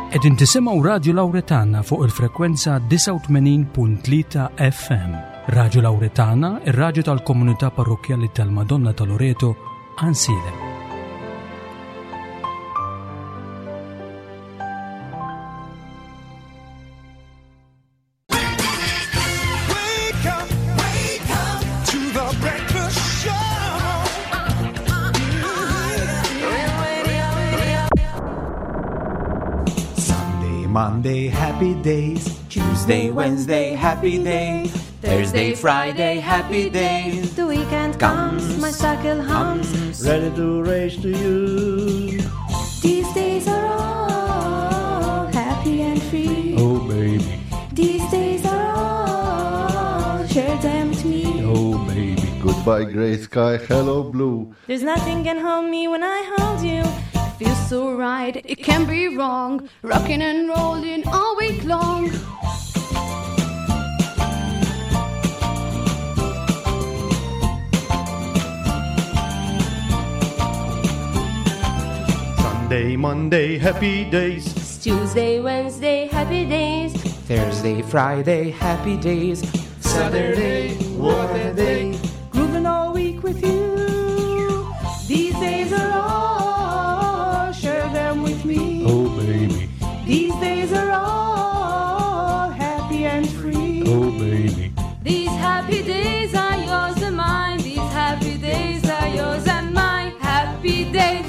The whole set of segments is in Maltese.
Qegħdin tisimgħu Radju Lawretana fuq il-frekwenza 89.3 FM. Radju Lawretana, ir-radju tal-komunità parrokkjali tal-Madonna ta' Loreto, Għansielem. Sunday, Monday, happy days. Tuesday, Wednesday, happy days. Thursday, Friday, happy days. The weekend comes, my cycle hums. Ready to race to you. These days are all happy and free. Oh, baby. These days are all share them to me. Oh, baby. Goodbye, gray sky. Hello, blue. There's nothing can hold me when I hold you. Feels so right, it can't be wrong. Rocking and rolling all week long. Sunday, Monday, happy days. Tuesday, Wednesday, happy days. Thursday, Friday, happy days. Saturday, what a day. Grooving all week with you. These days are all, share them with me. Oh, baby. These days are all happy and free. Oh, baby. These happy days are yours and mine. These happy days are yours and mine. Happy days.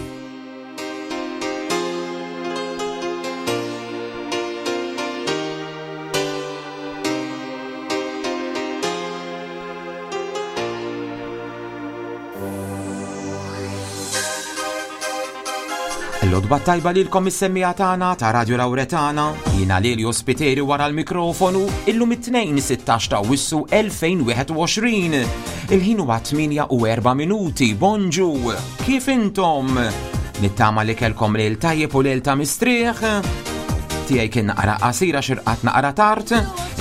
L-odba tajba lilkom is-semmija tagħna ta' Radio Lawretana, jiena Lelio Spiteri wara l-mikrofonu, illum it-tnejn 16 ta' Awwissu 2021. Il-ħin huwa 8 u 4 minuti. Bonġu, kif intom? Nittama li kelkom lejl tajjeb u lejl ta' mistrieħ. Tiegħi kien naqra qasira xirqat naqra tard,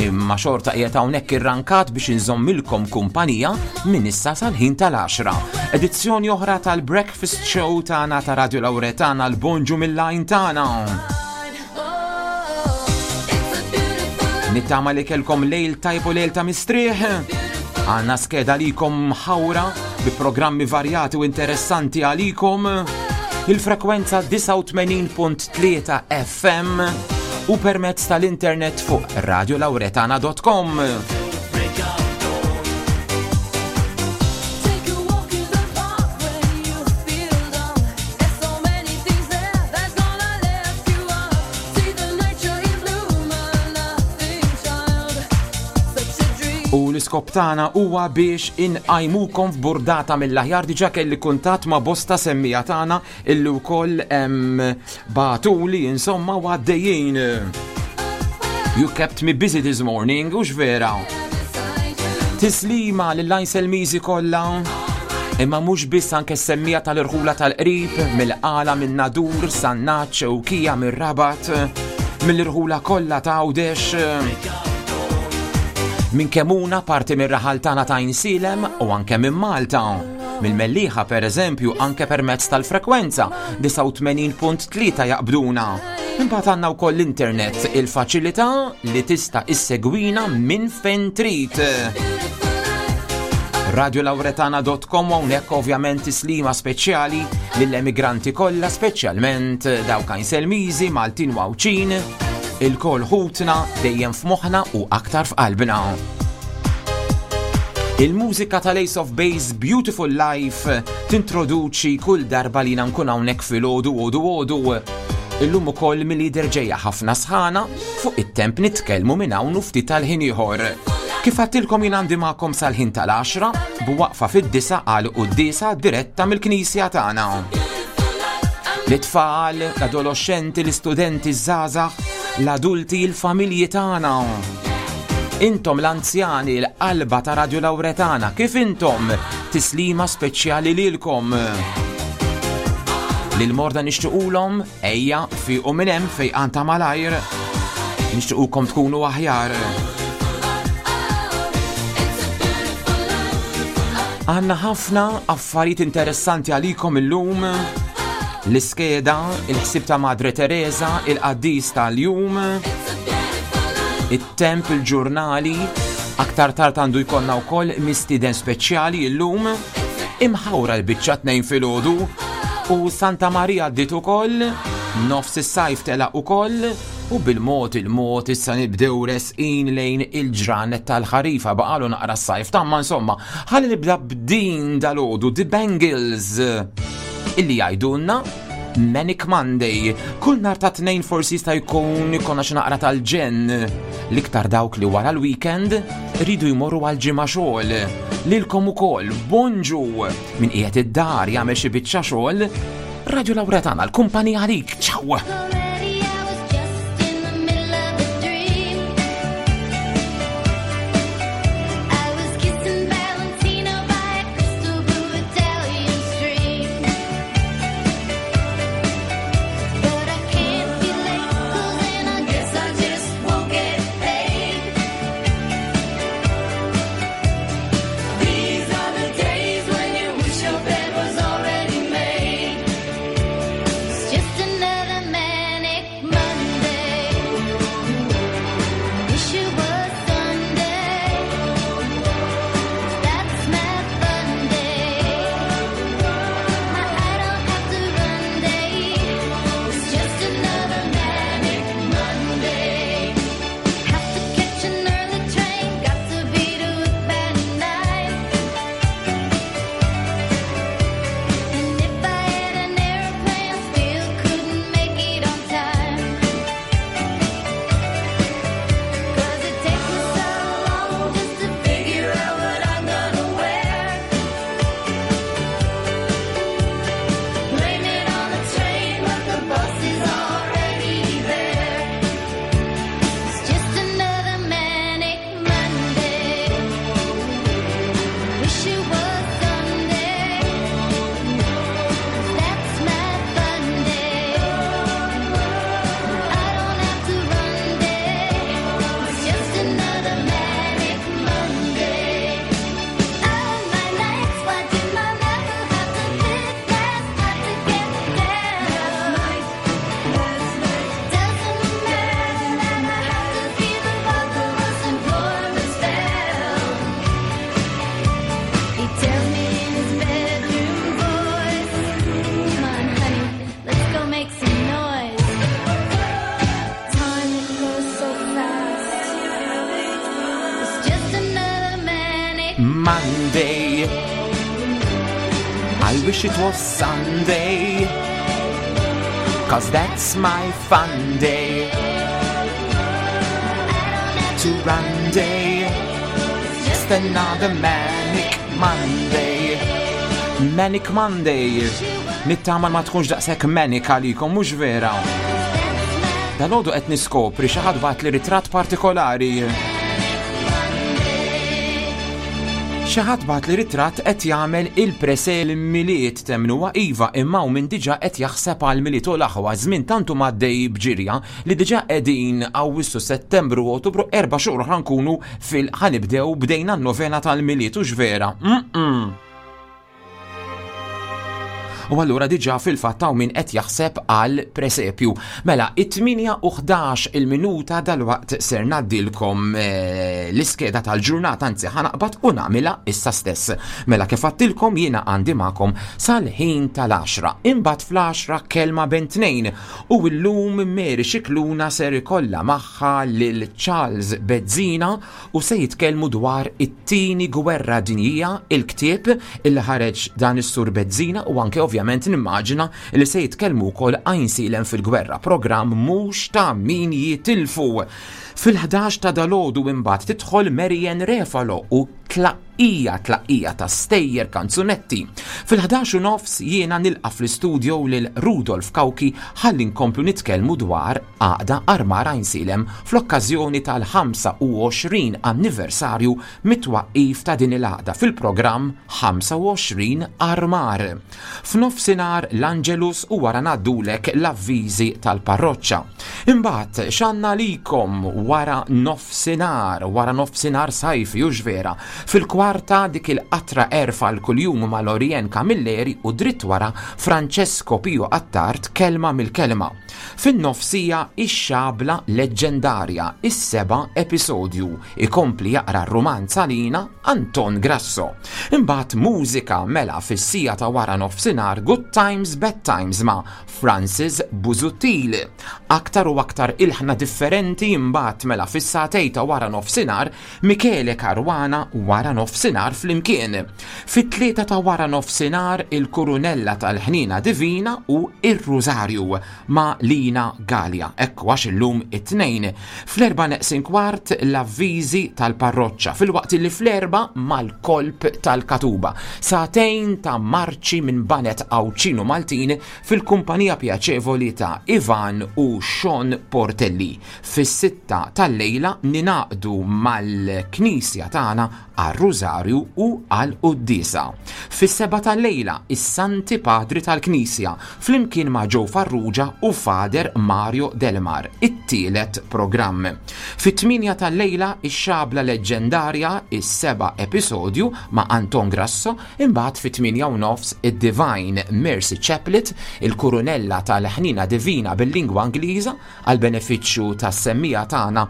imma xorta qiegħed hawnhekk irrankat biex inżommilkom kumpanija minn issa sal-ħin tal-10. Edizzjoni oħra tal-Breakfast Show tagħna ta' Radio Lawretana l-Bonġu mill-lajn tagħna. Nittama li kelkom lejl tajb u lejl ta' mistrieħ. Għanna skeda likom ħawra bi programmi varjati u interessanti għalikom. Il-frekwenza 89.3 FM u permezz tal-internet fuq radiolauretana.com. Take a walk in the park when you feel down. There's so many things there that's gonna lift you up. See the nature in bloom, a laughing child. Such a dream. U l-iskop tagħna huwa biex inqajmukom f'burdata mill-aħjar diġà kelli kuntatt ma' bosta semmija tagħna illi wkoll bagħtuli insomma u għaddejjin. You kept me busy this morning, u vera. Tislima lill-Lajn Mizi kollha. Imma mhux biss anke semmija tal-irħula tal-qrib, mill-qala minn Nadur, Sannaċ, Ewkija mir-Rabat, mill-irħula kollha ta' Għawdex. Minn Kemuna parti mir-raħal tagħna ta' Insilem u anke minn Malta. Mill-Mellieħa per eżempju anke permezz tal-frekwenza 89.3 jaqbduna. Imbagħad għandna wkoll l-internet, il-faċilità li tista' issegwina minn fejn trid. Radiolauretana.com hawnhekk ovvjament tislima speċjali lill-emigranti kollha speċjalment dawk Għajnselmiżi, Maltin u Għawdxin, ilkoll ħutna dejjem f'moħħna u aktar f'qalbna. Il-mużika tal-Ace of Base Beautiful Life tintroduċi kull darba li nkun hawnhekk filgħodu għodu għodu. Illum ukoll mill-lider ġejja ħafna sħana fuq it-temp nitkellmu minn hawn u ftit tal-ħin ieħor. Kif għattilkom jien għandi magħkom sal-ħin tal-10 b'waqfa fid-disa għal quddiesa diretta mill-knisja tagħna. L-itfal, l-adoloxxenti, l-istudenti, ż-żgħażagħ, l-adulti, il-familji tagħna. Intom l-anzjani, l-qalba ta' Radio Lawretana, kif intom? Tislima speċjali lilkom. Lil morda nixtiqulhom ejja fiqu minn hemm fejqan ta' malajr. Nixtiqukom tkunu aħjar. Għanna ħafna affarijiet interessanti għalikom illum. L-iskeda, il-ħsieb ta' Madre Teresa, il-qaddis tal-jum, it-temp, il-ġurnali, aktar tard għandu jkollna wkoll mistieden speċjali llum, imħawra l-biċċa tnejn filgħodu u Santa Maria għaddiet ukoll, nofs is-sajf telaq ukoll u bil-mod il-mod issa nibdew resqin lejn il-ġranet tal-ħarifa baqalu naqra s-sajf tamma insomma ħalli nibda b'din dal-għodu The Bangles illi jgħidulna Manic Monday. Kull nar ta' tnejn forsi jista' jkun ikonna xi naqra tal-ġenn. L-iktar dawk li wara l-weekend rridu jmorru għal ġimgħa xogħol. Lilkom ukoll bonġu min qiegħed id-dar jagħmel xi biċċa xogħol. Radio Lauretana, l-kumpanija għalik. Ciao! Monday. I wish it was Sunday. Cause that's my fun day. To run day. Just another manic Monday. Manic Monday. Nittama ma tkunx daqshekk manic għalikom, mhux vera. Dalodu qed niskopri xi ħadd bagħat li ritratt partikolari. Xi ħadd bagħat li ritratt qed jagħmel il-presel Milied temnuha iva imma hawn min diġà qed jaħseb għal Milied u l-aħwa żmien tant huma għaddej b'ġirja li diġà qegħdin Awwissu, Settembru u Ottubru erba' xhur oħra nkunu fil ħanibdew bdejna n-novena tal-Milied hux vera? Mm-mm. U allura diġà fil-fatt hawn min qed jaħseb għal presepju. Mela, it-8 u 11 il-minuta dalwaqt ser ngħaddilkom eh, l-iskeda tal-ġurnata, anzi ħanaqbad u nagħmilha issa stess. Mela kif għattilkom jiena għandi magħkom sal-ħin tal-10. Imbagħad fl-10 kelma ben tnejn u llum Mary Xikluna ser ikollha magħha lil Charles Bezzina u se jitkellmu dwar it-Tieni Gwerra Dinjija, il-ktieb illi ħareġ dan is-Sur Bezzina u anke ovvjament nimmaġina li se jitkellmu wkoll Għajnsielem fil-Gwerra, programm mhux ta' min jitilfu. Fil-11 ta' dalgħodu imbagħad tidħol Marianne Refalo u tlaqqija tlaqqija ta' stejjer kanzunetti. Fil-11 u nofs jiena nilqa' fl-istudio lil Rudolf Cauchi ħalli nkomplu nitkellmu dwar Għaqda Armar Għajnsielem fl-okkażjoni tal-25 anniversarju mit-twaqqif ta' din il-għaqda fil-programm 25 Armar. F'nofsinhar l-Angelus u wara ngħaddulek l-avviżi tal-parroċċa. Imbagħad x'għandna għalikom wara nofsinhar, wara nofsinhar sajfi hux vera. Fil-kwarta dik il-qatra għerf għal kuljum ma' Lorien Camilleri u dritt wara Francesco Pio Attard kelma mill-kelma. Fin-nofsija ix-xabla leġġendarja, is-seba' episodju, ikompli jaqra r-rumanz għalina Anton Grasso. Imbagħad mużika mela fis-siegħa ta' wara nofsinhar Good Times Bad Times ma' Francis Busuttil. Aktar u aktar ilħna differenti imbagħad mela fis-sagħtej ta' wara nofsinhar Michele Caruana wara nofsinhar flimkien. Fit-tlieta ta' wara nofsinhar il-Kurunella tal-Ħniena Divina u ir-Rużarju ma' Lina Galea. Ekku għax illum it-Tnejn. Fl-erbgħa neqsin kwart l-avviżi tal-parroċċa filwaqt li fl-erbgħa mal-kolp tal-katuba. Sagħtejn ta' marċi minn baned Għawdxin u Maltin fil-kumpanija pjaċevoli ta' Ivan u Sean Portelli. Fis-sitta tal-lejla ningħaqdu mal-Knisja tagħna għar-Rużarju u għall-Quddiesa. Fis-sebgħa tal-lejla is-Santi Padri tal-Knisja flimkien ma' Joe Farrugia u Father Mario Delmar, it-tielet programm. Fit-tmienja tal-lejla ix-Xabla Leġġendarja, is-seba' episodju ma' Anton Grasso, imbagħad fit-tmienja u nofs id-Divine Mercy Chaplet, il-Kurunella tal-Ħniena Divina bil-lingwa Ingliża, għall-benefiċċju tas-semmiegħa tagħna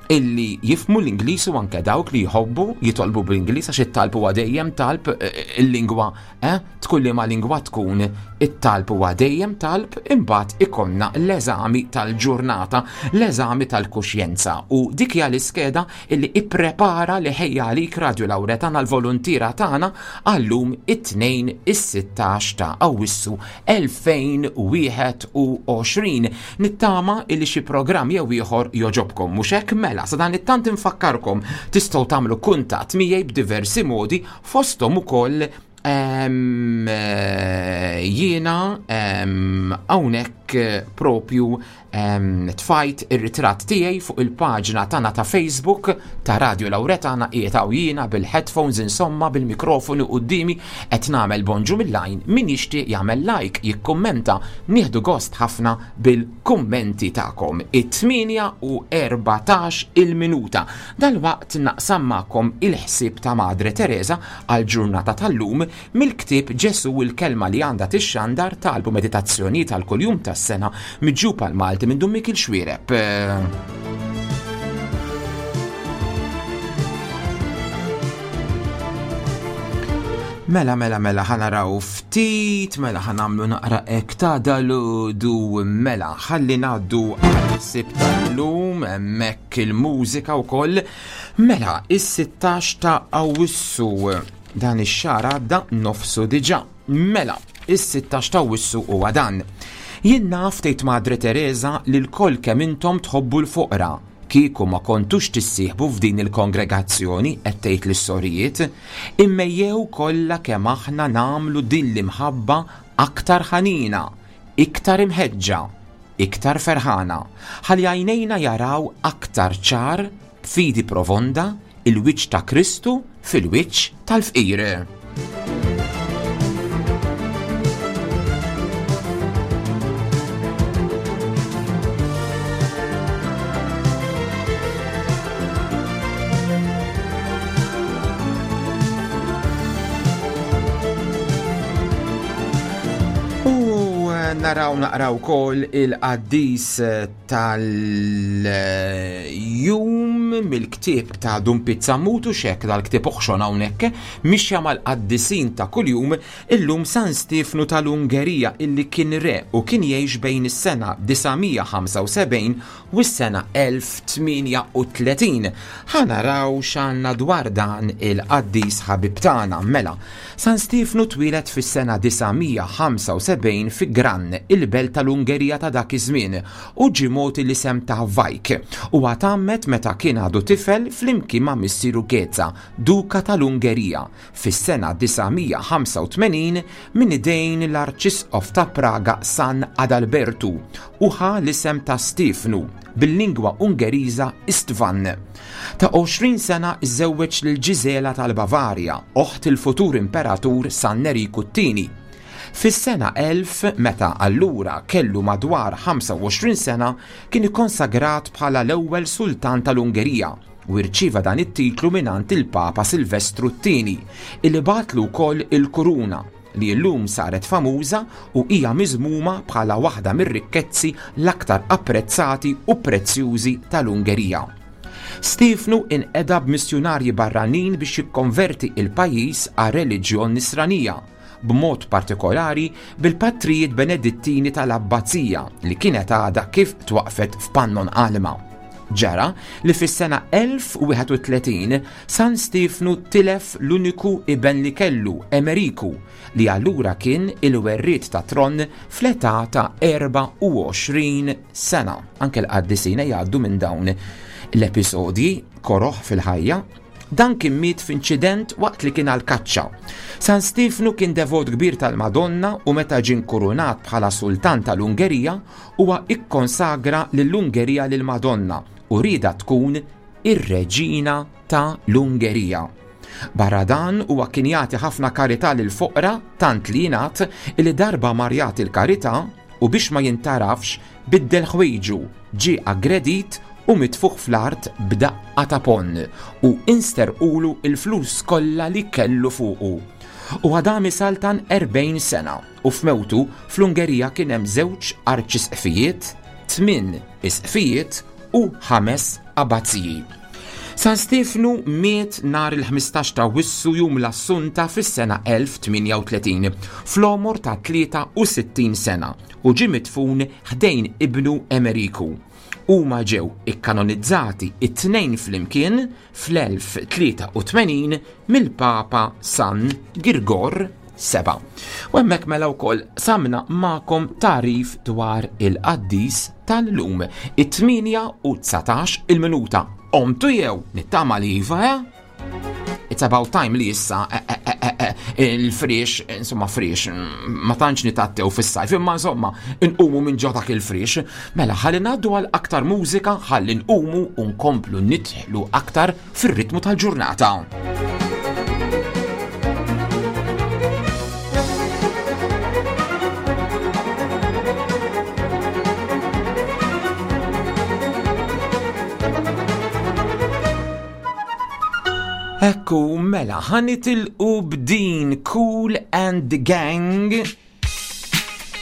illi jifhmu l-Ingliż u anke dawk li jħobbu jitolbu bl-Ingliż għax it-talb huwa dejjem talb eh, il-lingwa eh, tkun liema lingwa tkun it-talb huwa dejjem talb imbagħad ikollna l-eżami tal-ġurnata, l-eżami tal-kuxjenza u dik hija l-iskeda illi ipprepara li ħejja għalik Radio Lawretana l-voluntiera tagħna għallum it-tnejn is-16 ta' Awwissu 2021. Nittama illi xi programm jew ieħor jogħġobkom. Mhux hekk mela, sa dan it-tant infakkarkom tistgħu tagħmlu kuntatt miegħi b'diversi modi fosthom ukoll ehm, eh, jiena ehm, hawnhekk propju Tfajt ir-ritratt tiegħi fuq il-paġna tagħna ta' Facebook ta' Radio Lauretana qiegħed hawn jiena bil-headphones insomma bil-mikrofonu quddiemi qed nagħmel bonġu mill-għajn min jixtieq jagħmel like, jikkummenta, nieħdu gost ħafna bil-kummenti tagħkom. It-8 u 14 il-minuta. Dalwaqt naqsam magħkom il-ħsieb ta' Madre Teresa għall-ġurnata tal-lum Mill-ktieb Ġesù il-Kelma li Għandha Tixxandar, Talb u Meditazzjonijiet għal Kull Jum tas-Sena, miġjub għall-Malti minn Dun Mikiel Xuereb. Mela, mela, mela, ħanaraw ftit, mela ħanamlu naqra ek ta' daludu, mela, ħalli naddu għal-sib tal-lum, hemmhekk il-mużika wkoll. Mela, is-16 ta' Awwissu. Dan ix-xahar għadda nofsu diġà. Mela, is-16 ta' Awwissu huwa dan. Jien naf, tgħid Madre Tereża, li lkoll kemm intom tħobbu l-foqra. Kieku ma kontux tissieħbu f'din il-kongregazzjoni, qed tgħid lis-sorijiet, immejjew kollha kemm aħna nagħmlu din l-imħabba aktar ħanina, iktar imħeġġa, iktar ferħana, ħalli għajnejna jaraw aktar ċar, b'fidi profonda, Il-wiċċ ta' Kristu fil-wiċċ tal-fqir. U naraw naqraw kol il-qaddis tal-jum mill-ktieb ta' Dun Pizzammut u xek dal-ktieb oħxon hawnhekk mixja mal-qaddisin ta' kuljum illum San Stiefnu tal-Ungerija illi kien re u kien jgħix bejn is-sena 975 u s-sena 1038. Ħa naraw x'għandna dwar dan il-qaddis ħabib tagħna mela. San Stiefnu twieled fis-sena 975 fi Gran, il-belt tal-Ungerija ta' dak iż-żmien, u ġie mogħti l-isem ta' Vajk. Huwa tgħammed meta kien għadu tifel flimkien ma' missieru Geza, Duka tal-Ungerija, fis-sena 985 minn idejn l-Arċisqof ta' Praga San Adalbertu u ħa l-isem ta' Stiefnu, bil-lingwa Ungeriża Istvan. Ta' 20 sena żżewweġ lil Ġiżela tal-Bavarja, oħt il-futur imperatur San Neriku t-Tieni. Fis-sena 1000, meta allura kellu madwar 25 sena, kien ikkonsagrat bħala l-ewwel sultan tal-Ungerija u rċieva dan it-titlu mingħand il-Papa Silvestru t-Tieni, illi bagħatlu wkoll il-kuruna, li llum saret famuża u hija miżmuma bħala waħda mir-rikkezzi l-aktar apprezzati u prezzjużi tal-Ungerija. Stiefnu inqeda b'missjunarji barranin biex jikkonverti il-pajjiż għar-reliġjon Nisranija, b'mod partikolari bil-patrijiet Benedittini tal-Abbazija li kienet għadha kif twaqqfet f'Pannon Alma. Ġara li fis-sena 1031 San Stiefnu tilef l-uniku iben li kellu, Emeriku, li allura kien il-werriet tat-tron fl-età ta' 24 sena. Anke l-qaddisin jgħaddu minn dawn l-episodji koroh fil-ħajja. Dan kien miet f'inċident waqt li kien għall-kaċċa. San Stiefnu kien devot kbir tal-Madonna u meta ġie nkurunat bħala sultan tal-Ungerija, huwa ikkonsagra lill-Ungerija lill-Madonna u riedha tkun ir-reġina ta' l-Ungerija. Barra dan huwa kien jagħti ħafna karità lill-foqra tant li jingħad li darba mar jagħti l-karità u biex ma jintgħarafx biddel ħwejġu, ġie aggredit u mitfugħ fl-art b'daqqa ta' ponn u insterqulu l-flus kollha li kellu fuqu. Huwa dam isaltan 40 sena u f'mewtu fl-Ungerija kien hemm żewġ arċisqfijiet, tmien isqfijiet u ħames abbaziji. San Stiefnu miet nhar il-15 ta' Awwissu jum l-Assunta fis-sena 1038 fl-għomor ta' 63 sena u ġie midfun ħdejn ibnu Emeriku. Huma ġew ikkanonizzati it-tnejn flimkien fl-1083 mill-Papa San Girgor 7. U hemmhekk mela wkoll samna magħkom tagħrif dwar il-qaddis tal-lum. It-8 u 19 il-minuta. Omtu jew nittama li iva, eh? It's about time li issa eh, eh, eh, il-friex, insomma friex, ma tantx nitattew fis-sajf, imma insomma nqumu minn ġo dak il-friex. Mela ħalli ngħaddu għal aktar mużika, ħalli nqumu u nkomplu nidħlu aktar fir-ritmu tal-ġurnata. Ekku, mela, ħanitilqu b'din Cool and the Gang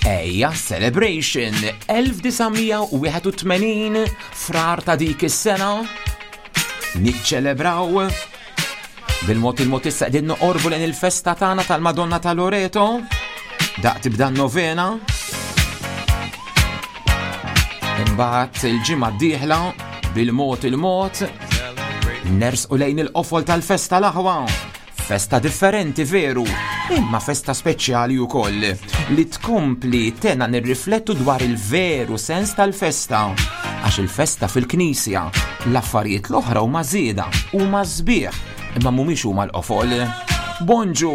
Ejja Celebration 1981 frar ta' dik is-sena niċċelebraw bil-mod il-mod issa qegħdin noqorbu lejn il-festa tagħna tal-Madonna ta' Loreto daq tibda novena imbagħad il-ġimgħa d-dieħla bil-mod il-mod nersqu lejn il-qofol tal-festa l-aħwa Festa differenti veru, imma festa speċjali wkoll li tkompli tena nirriflettu dwar il-veru sens tal-festa. Għax il-festa fil-knisja, l-affarijiet l-oħra huma żieda, huma sbieħ, imma mhumiex huma l-qofol. Bonġu!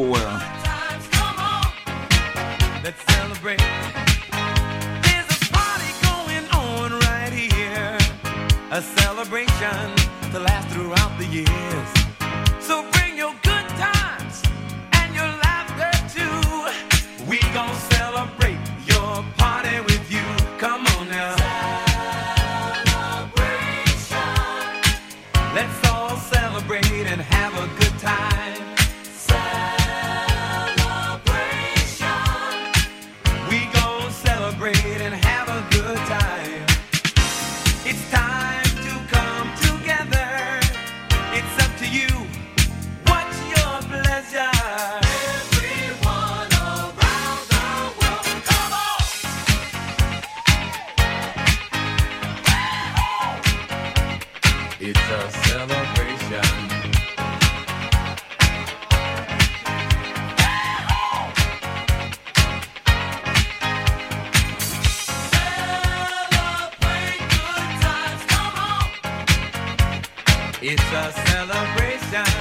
A celebration to last throughout the years. So bring your good times and your laughter too. We gon' celebrate your party with you. Come on now. Celebration. Let's all celebrate and have a good time. Celebration. We gon' celebrate and have a good time. It's time to come together. It's up to you. What's your pleasure? Everyone around the world, come on! It's a celebration. Celebrate good times, come on! It's a celebration.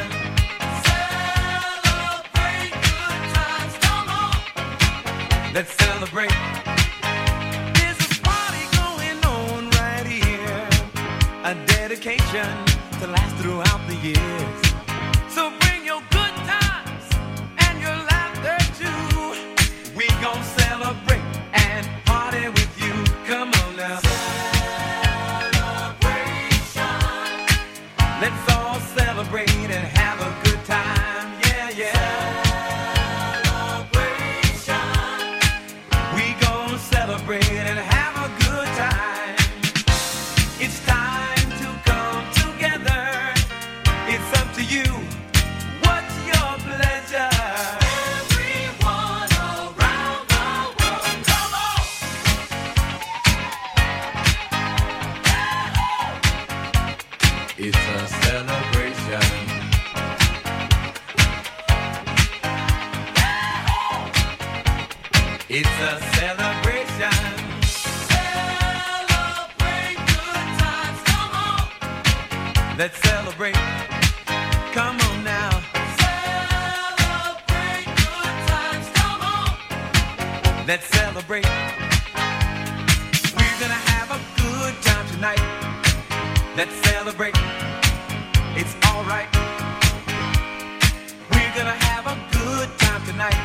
Celebrate good times, come on! Let's celebrate. There's a party going on right here. A dedication to last throughout the years. So bring your good times and your laughter too. We gon' celebrate and have a good time. It's time to come together. It's up to you. What's your pleasure? Everyone around the world, come on! It's a celebration. It's a celebration. Celebrate good times, come on. Let's celebrate. Come on now. Celebrate good times, come on. Let's celebrate. We're gonna have a good time tonight. Let's celebrate. It's alright. We're gonna have a good time tonight.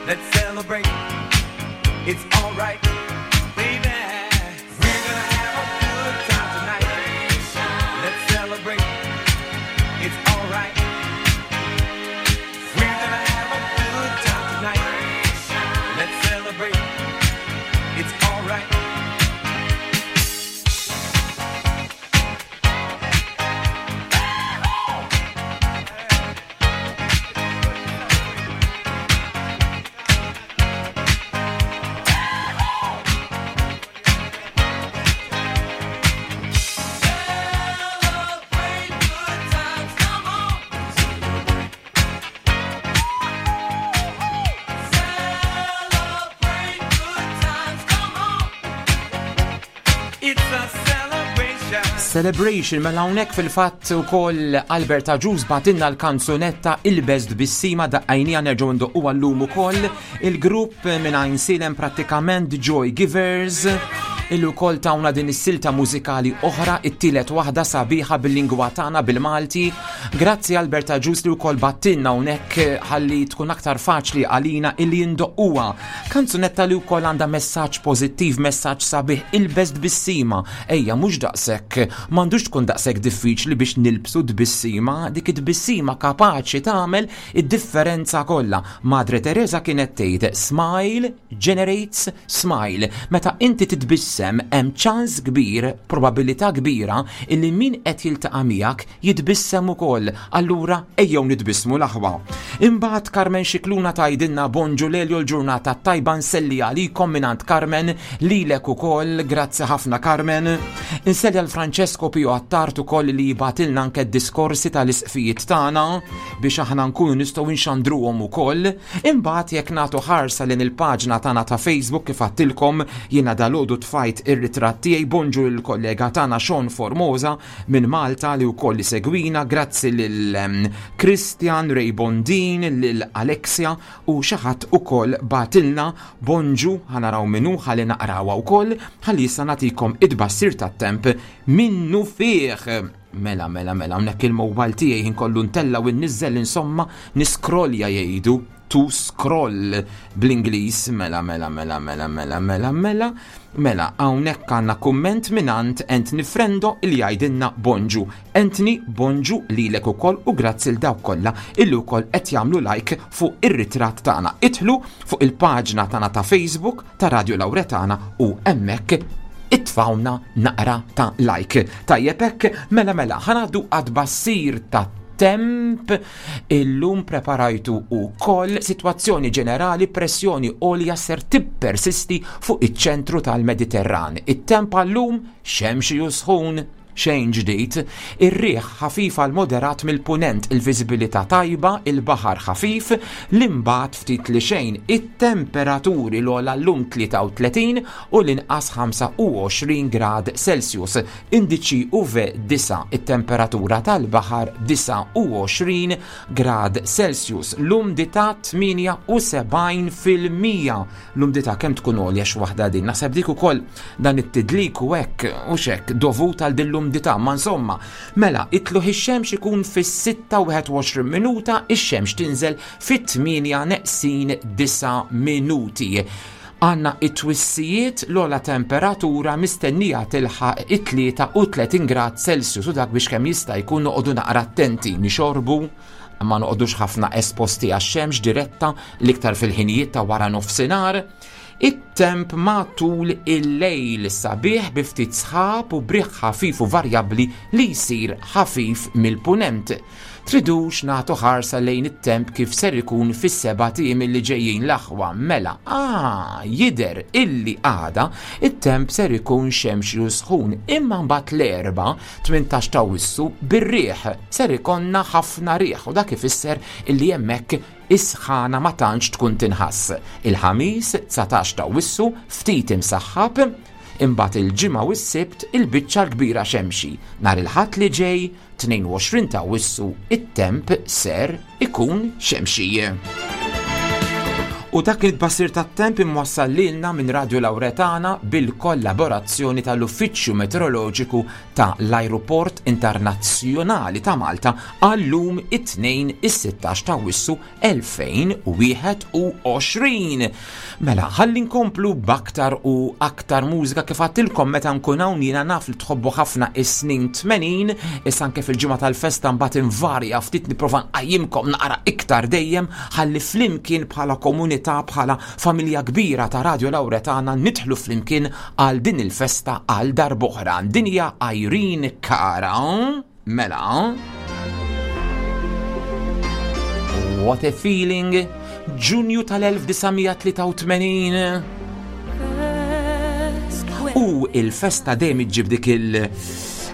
Let's celebrate. It's alright, baby. We're gonna have a good time tonight. Let's celebrate. It's alright. We're gonna have a good time tonight. Let's celebrate. It's alright. Celebrate good times, come on. Celebrate good times, come on. It's a celebration. Celebration mela hawnhekk fil-fatt ukoll Albert Aġuż batinna l-kanzunetta Il-Best Bissima daqqajnija nerġgħu ndoqquha llum ukoll il-grupp minn Għajnsielem prattikament Joy Givers illi wkoll tawna din is-silta mużikali oħra it-tielet waħda sabiħa bil-lingwa tagħna bil-Malti. Grazzi Albert Aġuż li wkoll battilna hawnhekk ħalli tkun aktar faċli għalina illi ndoqquha. Kanzunetta li wkoll għandha messaġġ pożittiv, messaġġ sabiħ il-best bissima. Ejja mhux daqshekk, m'għandux tkun daqshekk diffiċli biex nilbsu tbissima, dik it-tbissima kapaċi tagħmel id-differenza kollha. Madre Teresa kienet tgħid smile generates smile. Meta inti titbissem hemm ċans kbir, probabilità kbira illi min qed jiltaqa' miegħek jitbissem ukoll. Allura ejjew nitbissmu l-aħwa. Imbagħad Carmen Xikluna tgħidilna bonġu Lelio l-ġurnata tajba nselli għalikom mingħand Carmen lilek ukoll, grazzi ħafna Carmen. Inselli għal Francesco Pio Attard ukoll li jibatilna anke d-diskorsi tal-isqfijiet tagħna biex aħna nkunu nistgħu nxandruhom ukoll. Imbagħad jekk nagħtu ħarsa lejn il-paġna tagħna ta' Facebook kif għattilkom jiena dalgħodu tfajt ir-ritratt tiegħi bonġu lill-kollega tagħna Sean Formosa minn Malta li wkoll segwina, grazzi lil Christian Ray Bondin, lil Alexia u xi ħadd ukoll batilna bonġu ħanaraw minnu ħalli naqrawha wkoll ħalli issa nagħtikom id-bassir tat-temp minnu fih. Mela, mela, mela, hawnhekk il-mobile tiegħi inkollu ntella u nniżżel insomma niskrolja jgħidu to scroll bl-Ingliż mela, mela, mela, mela, mela, mela, mela, mela, hawnhekk għandna kumment mingħand Anthony Frendo li jgħidilna bonġu. Anthony, bonġu lilek ukoll u grazzi l dawk kollha illi wkoll qed jagħmlu like fuq ir-ritratt tagħna. Idħlu fuq il-paġna tagħna ta' Facebook ta' Radio Lauretana u hemmhekk itfawna naqra ta' like. Tajjeb hekk, mela mela, ħanaddu għad-bassir ta' temp illum preparajtu u koll situazzjoni ġenerali pressjoni għolja ser tippersisti fuq iċ-ċentru tal-Mediterran. It-temp għallum xemxi u sħun xejn ġdid, ir-riħ ħafif għal moderat mill-punent, il-viżibilità tajba, il-baħar ħafif, l-imbagħad ftit li xejn, it-temperaturi l-ogħla llum 33 u l-inqas 25 grad Celsius, indiċi UV 9, it-temperatura tal-baħar 29 grad Celsius, l-umdità 78%. L-umdità kemm tkun għolja x'waħda din, naħseb dik ukoll dan it-tidlik u hekk u x'hekk dovut għal din l-umdità, ma insomma, mela itluħ ix-xemx ikun fis-6:21 minuta, ix-xemx tinżel fit-8 neqsin 9 minuti. Għanna it-twissijiet l-ogħla temperatura mistennija tilħaq it-33 grad Celsius u dak biex kemm jista' jkun noqogħdu naqra attenti, nixorbu, ma noqogħdux ħafna esposti għax-xemx diretta l-iktar fil-ħinijiet ta' wara nofsinhar. It-temp matul il-lejl sabiħ bi ftit sħab u briħ ħafif u varjabbli li jsir ħafif mill-punent. Tridux nagħtu ħarsa lejn it-temp kif ser ikun fis-sebat ijiem li ġejjin l-aħwa mela ah jidher illi għada it-temp ser ikun xemxi u sħun imma mbagħad l-Erbgħa 18 t'Awwissu bir-riħ ser ikollna ħafna riħ u dak ifisser illi hemmhekk is-sħana ma tantx tkun tinħass. Il-Ħamis 19 t'Awwissu ftit imsaħħab, imbagħad il-Ġimgħa u s-Sibt il-biċċa l-kbira xemxi. Nhar il-Ħadd li ġej, 22 t'Awwissu, it-temp ser ikun xemxi. U dak il-tbassir tat-temp imwassal lilna minn Radio Lauretana bil-kollaborazzjoni tal-Uffiċċju Meteoroloġiku ta' l-Ajruport Internazzjonali ta' Malta għal-lum it-Tnejn is-16 ta' Awwissu 2021. Mela, ħalli nkomplu b'aktar u aktar mużika kif għattilkom meta nkun hawn jiena naf li tħobbu ħafna is-snin 80, issa anke fil-ġimgħa tal-festa mbagħad invarja ftit nipprova nqajjimkom naqra iktar dejjem ħalli flimkien bħala komunità bħala familja kbira ta' Radio Lauretana nidħlu flimkien għal din il-festa għal darb'oħra. Din hija Irene Cara. Mela. What a feeling! Ġunju tal-1983. U il-festa dejjem iġġib dik il-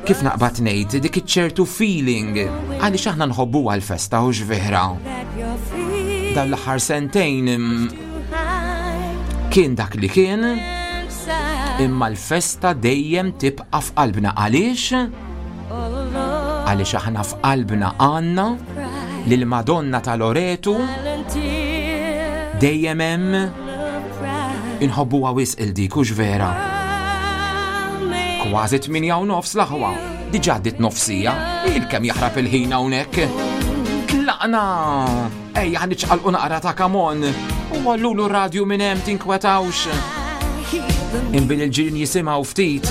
kif naqbad ngħid, dik iċ-ċertu feeling għaliex aħna nħobbu għal-festa u vera. Dan l-aħħar sentejn kien dak li kien, imma l-festa dejjem tibqa' f'qalbna għaliex? Għaliex aħna f'qalbna għandna lil Madonna ta' Loretu dejjem hemm inħobbuha wisq il dik hux vera. Kważi 8 u nofs l-aħwa, diġà għaddiet nofsija, il-kemm jaħrab il-ħin hawnhekk. Tlaqna! Ejja ħa niċċaqalqu naqra ta' kamon. U għallulu radju minn hemm tinkwetawx. Imbil il-ġirien jisimgħu ftit.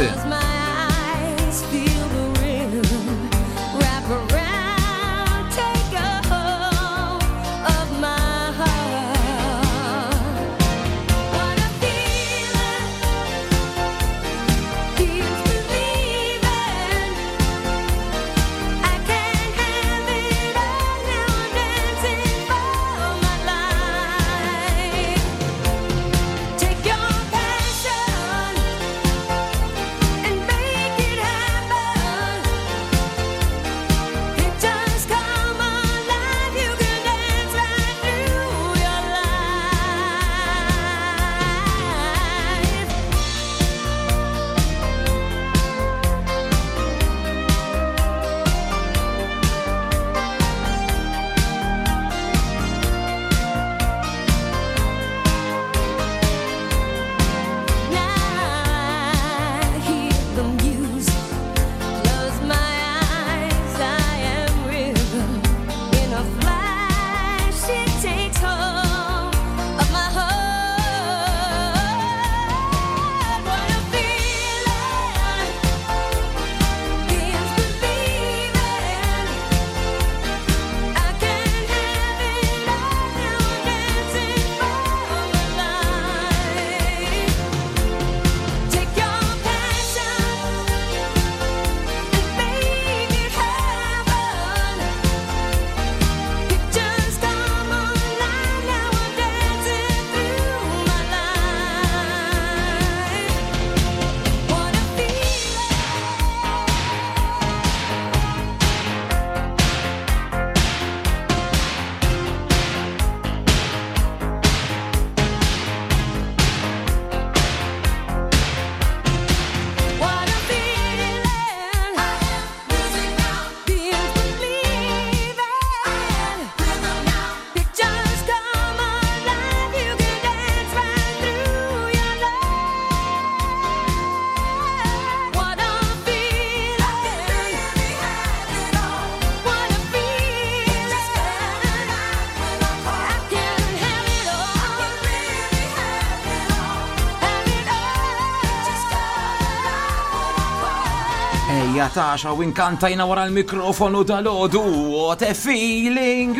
Ejja taxa u inkantajna wara l-mikrofonu dal-ħodu. What a feeling!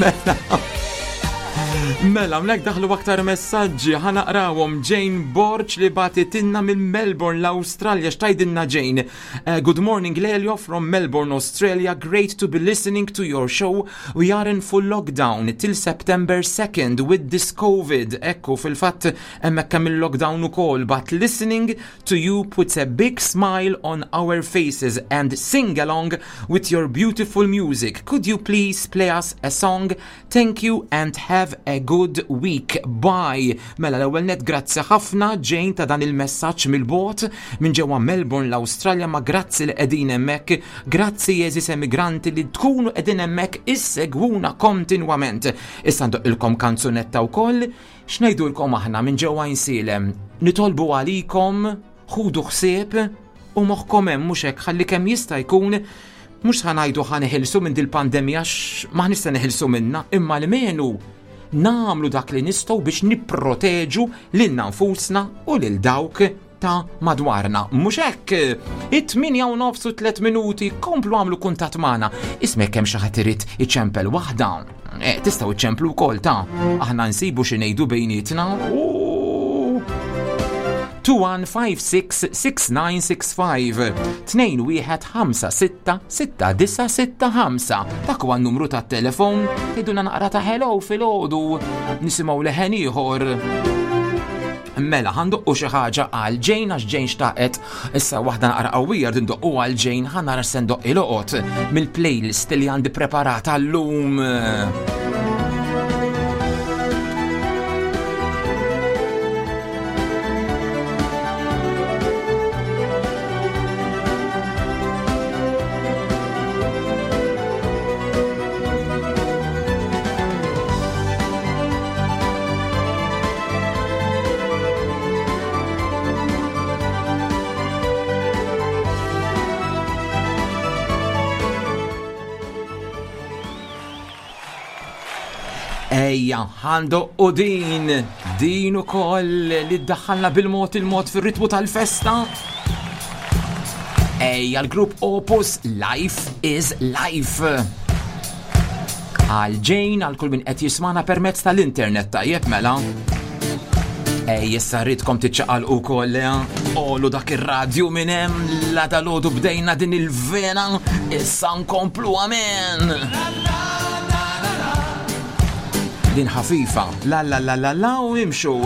Mela. Mela, mlek daħlu aktar messaġġi, ħanaqrawhom Jane Borg li batitinna minn Melbourne, l-Awstralja, x'tajdinna Jane? Uh, good morning Lelio from Melbourne, Australia. Great to be listening to your show. We are in full lockdown till September 2nd with this COVID. Ekku, fil-fatt hemmhekk hemm il-lockdown ukoll, but listening to you puts a big smile on our faces and sing along with your beautiful music. Could you please play us a song? Thank you and have a good week. Bye. Mela l-ewwel net grazzi ħafna Jane ta' dan il-messaġġ mill-bogħod minn ġewwa Melbourne l-Awstralja ma grazzi li qegħdin hemmhekk, grazzi eżis emigranti li tkunu qegħdin hemmhekk issegwuna kontinwament. Issa ndoqqilkom kanzunetta wkoll. X'ngħidulkom aħna minn ġewwa Għajnsielem? Nitolbu għalikom, ħudu ħsieb u moħħkom hemm mhux hekk ħalli kemm jista' jkun mhux ħa ngħidu ħa neħilsu minn dil-pandemija għax m'aħniex se neħilsu minnha, imma almenu nagħmlu dak li nistgħu biex nipproteġu lilna nfusna u lil dawk ta' madwarna. Mhux hekk, it-8 u nofs u 3 minuti komplu għamlu kuntatt magħna. Ismek hemm xi ħadd irid iċempel waħda. Eh, tistgħu iċemplu wkoll ta' aħna nsibu xi ngħidu bejnietna. 21566965 21566965 Dak huwa n-numru tat-telefon tgħidulna naqra ta' hello filgħodu nisimgħu leħen ieħor. Mela, ħandoqqu xi ħaġa għal Jane għax Jane xtaqet issa waħda naqra qawwija rrid ndoqqu għal Jane ħa nara se ndoqq il-oqgħod mill-playlist li għandi preparata llum. Ejja, għandu u din, din u koll li ddaħħalna bil-mod il-mod fil-ritmu tal-festa. Ejja, l-grupp Opus Life is Life. Għal Jane, għal kull min qed jismana permezz tal-internet tajjeb mela. Ej, issa rridkom tiċċaqalqu wkoll, eh? Olu dak ir-radju minn hemm la dalodu bdejna din il-vena, issa nkomplu amen. Din ħafifa, la la la la la u imxu.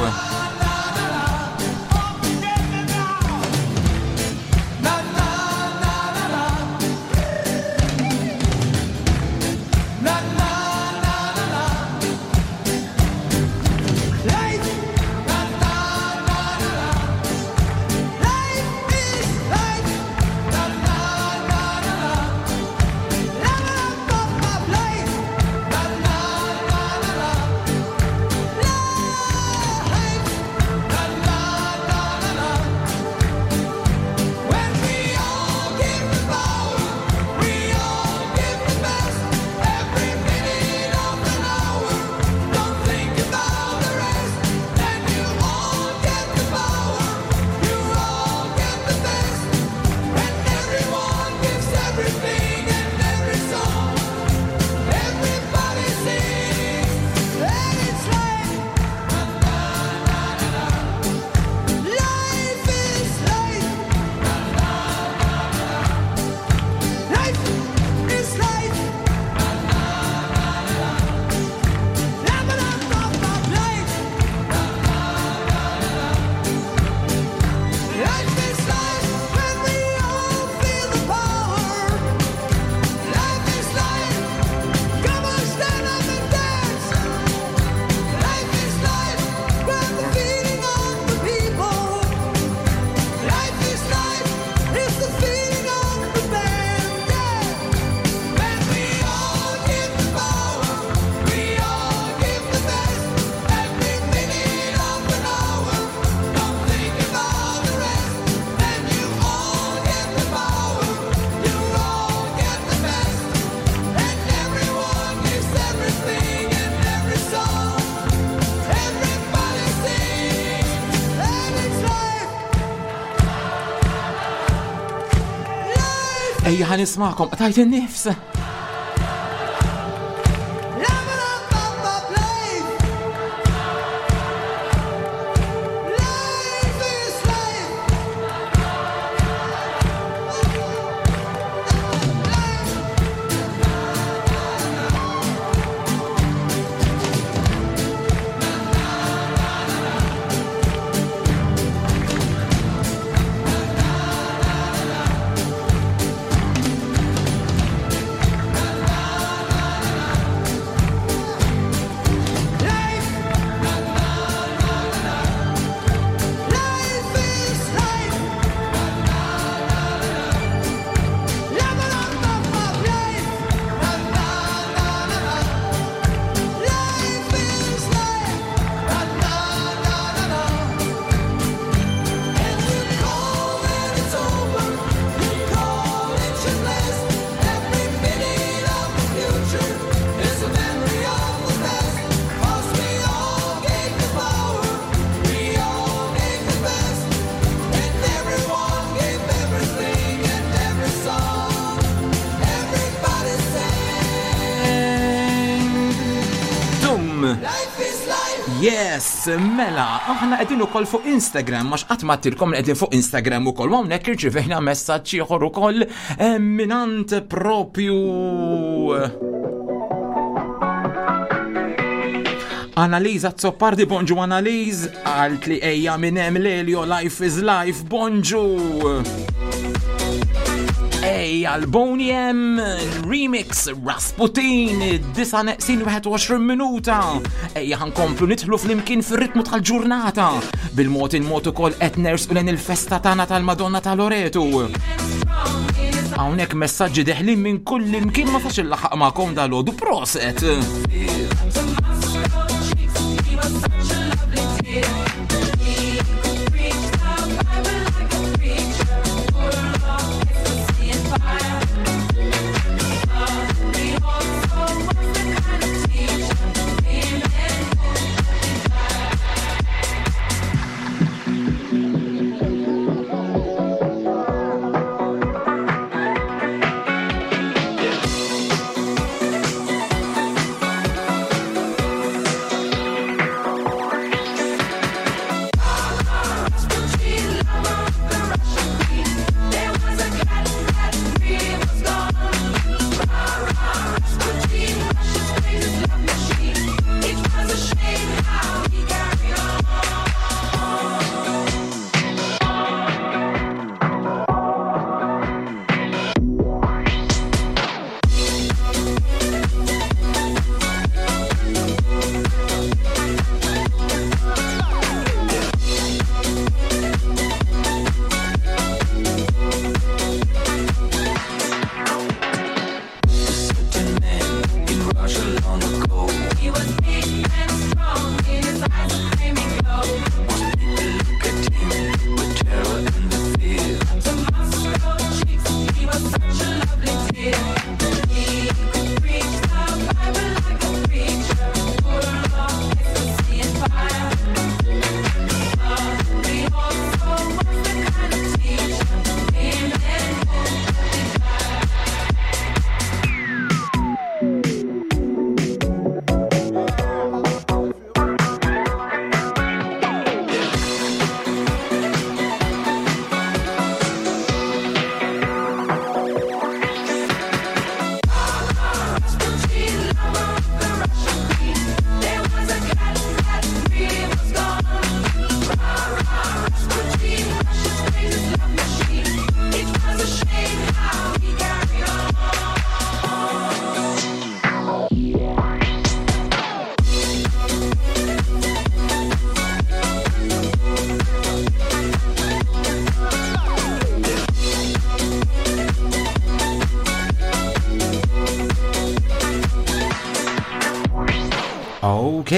Ejja ħa nismakom, tajt in-nifs. Yes, mela, aħna qegħdin ukoll fuq Instagram, għax qatt ma għedtilkom li qegħdin fuq Instagram ukoll, u hawnhekk irċivejna messaġġ ieħor ukoll eh, minant propju Analiza Zoppardi, bonġu Analiz, għalt li ejja minn hemm Lelio, life is life, bonġu. Ejja l-Boney M, remix Rasputin, 9 neqsin 21 minuta. Ejja ħankomplu nidħlu flimkien fir-ritmu tal-ġurnata. Bil-mod il-mod ukoll qed nersqu lejn il-festa tagħna tal-Madonna ta' Loretu. Hawnhekk messaġġi deħlin minn kull imkien ma sax il-laħaq magħkom dal-għodu proset. Ok,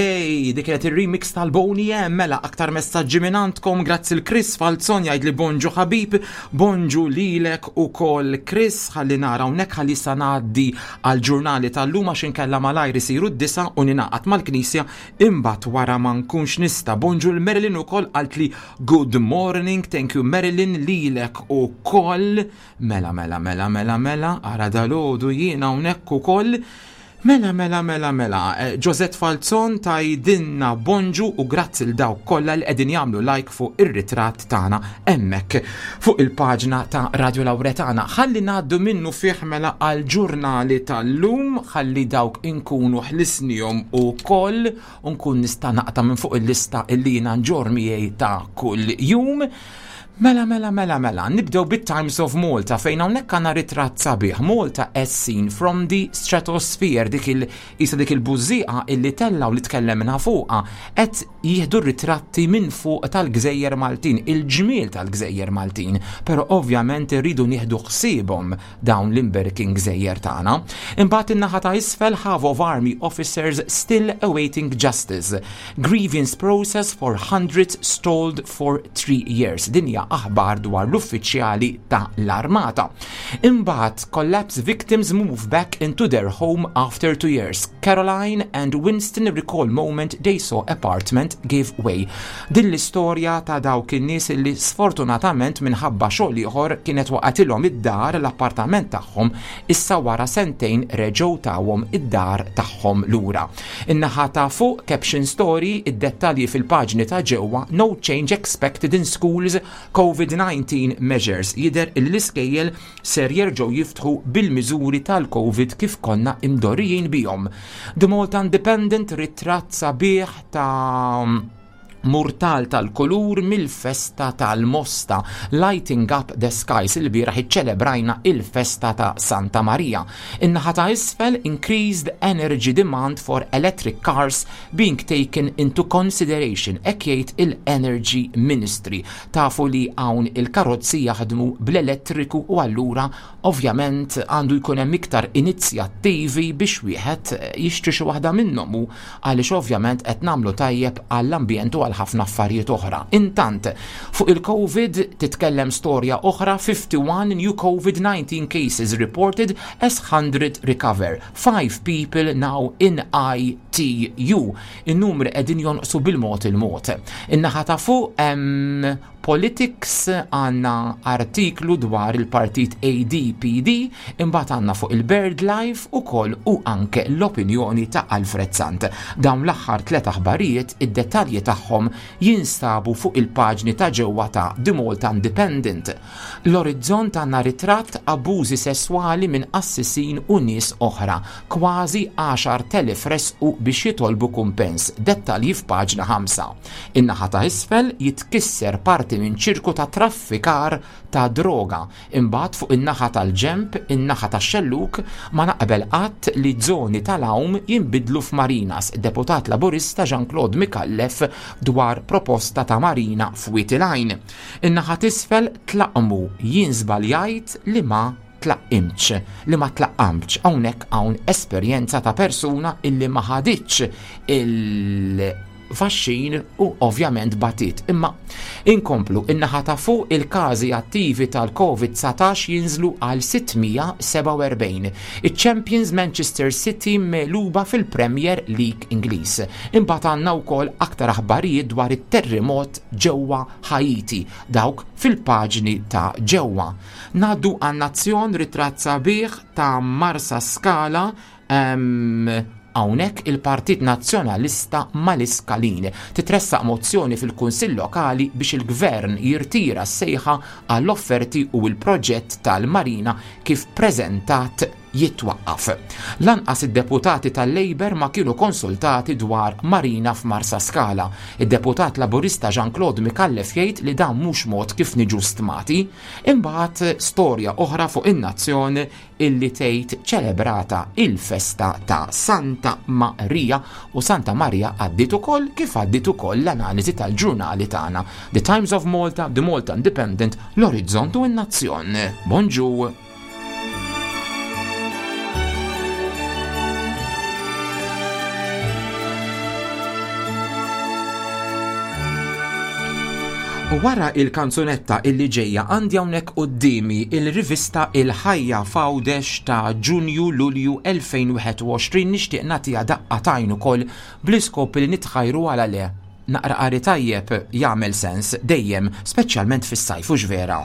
dik kienet ir-remix tal-Boni M, mela aktar messaġġi minn għandkom, grazzi l-Chris Falzon jgħid li bonġu ħabib, bonġu lilek ukoll Chris, ħalli nara hawnhekk ħalli sa ngħaddi għall-ġurnali tal-lum għax inkella malajr isiru d-disa u ninaqat mal-knisja imbagħad wara ma nkunx nista'. Bonġu l-Marilyn ukoll qalt li good morning, thank you Marilyn lilek ukoll. Mela mela mela mela mela ara dalgħodu jiena hawnhekk ukoll. Mela, mela, mela, mela, eh, Josette Falzon tajdinna bonġu u grazzi l dawk kollha li qegħdin jagħmlu like fuq ir-ritratt tagħna hemmhekk fuq il-paġna ta' Radio Lauretana. Ħalli ngħaddu minnu fih mela għal ġurnali tal-lum, ħalli dawk inkunu ħlisnihom ukoll u nkun nista' naqta' minn fuq il-lista illi jiena nġorr miegħi ta' kull jum. Mela, mela, mela, mela, nibdew bit-Times of Malta fejn hawnhekk għandna ritratt sabiħ Malta as seen from the stratosphere dik il isa dik il-bużieqa illi tella u li tkellemna fuqha qed jieħdu ritratti minn fuq tal-Gżejjer Maltin, il-ġmiel tal-Gżejjer Maltin, però ovvjament irridu nieħdu ħsiebhom dawn l-imberkin gżejjer tagħna. Imbagħad in-naħa ta' isfel half of army officers still awaiting justice. Grievance process for hundreds stalled for 3 years. Din hija hija aħbar dwar l-uffiċjali ta' l-armata. Imbagħad collapse victims move back into their home after 2 years. Caroline and Winston recall moment they saw apartment give way. Din l-istorja ta' dawk in-nies li sfortunatament minħabba xogħol ieħor kienet waqgħetilhom id-dar l-appartament tagħhom issa wara sentejn reġgħu tawhom id-dar tagħhom lura. In-naħa ta' fuq caption story id-dettalji fil-paġni ta' ġewwa no change expected in schools COVID-19 measures jidher li l-iskejjel ser jerġgħu jiftħu bil-miżuri tal-Covid kif konna imdorrijin bihom. The Malta Independent ritratt sabiħ ta' murtal tal-kulur mill-festa tal-Mosta, Lighting Up the Skies, il-bieraħ iċċelebrajna il-festa ta' Santa Maria. In-naħa ta' isfel increased energy demand for electric cars being taken into consideration, hekk jgħid il-Energy Ministry. Tafu li hawn il-karozzi jaħdmu bl-elettriku u allura ovvjament għandu jkun hemm iktar inizjattivi biex wieħed jixtri xi waħda minnhom u għaliex ovvjament qed nagħmlu tajjeb għall-ambjent u għal ħafna affarijiet oħra. Intant, fuq il-Covid titkellem storja oħra 51 new COVID-19 cases reported as 100 recover. 5 people now in ITU. In-numri qegħdin jonqsu bil-mod il-mod. In-naħa ta' fuq hemm Politics għandna artiklu dwar il-partit ADPD, imbagħad għandna fuq il-Bird Life ukoll u anke l-opinjoni ta' Alfred Sant. Dawn l-aħħar tliet aħbarijiet id-dettalji tagħhom jinstabu fuq il-paġni ta' ġewwa ta' The Malta Independent. L-Orizzont għandna ritratt abbużi sesswali minn qassisin u nies oħra. Kważi 10,000 resqu biex jitolbu kumpens. Dettalji f'paġna 5. In-naħa ta' isfel jitkisser parti minn ċirku ta' traffikar ta' droga. Imbagħad fuq in-naħa tal-ġenb, in-naħa tax-xellug, ma naqbel qatt li żoni tal-għawm jinbidlu f'marinas, Deputat Laburista Jean Claude Micallef dwar proposta ta' marina f'Wied il-Għajn. In-naħa t'isfel tlaqqmu, jien żbaljajt li ma tlaqqimtx, li ma tlaqqamtx. Hawnhekk hawn esperjenza ta' persuna illi ma ħaditx il-vaxxin u ovvjament batiet. Imma inkomplu in-naħa ta' fuq il-każi attivi tal-Covid-19 jinżlu għal 647. Iċ-Champions Manchester City megħluba fil-Premier League Ingliż. Imbagħad għandna wkoll aktar aħbarijiet dwar it-terremot ġewwa Haiti, dawk fil-paġni ta' ġewwa. Ngħaddu għan-Nazzjon ritratt sabiħ ta' Marsa Skala hawnhekk il-Partit Nazzjonalista mal-Iskalin. Titressaq mozzjoni fil-Kunsill Lokali biex il-Gvern jirtira s-sejħa għall-offerti u l-proġett tal-Marina kif preżentat jitwaqqaf. Lanqas id-deputati tal-Labour ma kienu konsultati dwar Marina f'Marsaskala. Id-deputat Laburista Jean Claude Micallef jgħid li dan mhux mod kif niġu stmati. Imbagħad storja oħra fuq in-Nazzjon illi tgħid ċelebrata il-festa ta' Santa Maria u Santa Maria għaddiet ukoll kif għaddiet ukoll l-analiżi tal-ġurnali tagħna The Times of Malta, The Malta Independent, l-Orizzont u n-Nazzjon. Bonġu! U wara il-kanzunetta illi ġejja għandi hawnhekk quddiemi il-rivista Il-Ħajja f'Għawdex ta' Ġunju Lulju 2021 nixtieq nagħtiha daqqa t'għajn ukoll bl-iskop li nitħajru għala le. Naqra qari tajjeb jagħmel sens dejjem, speċjalment fis-sajf hux vera?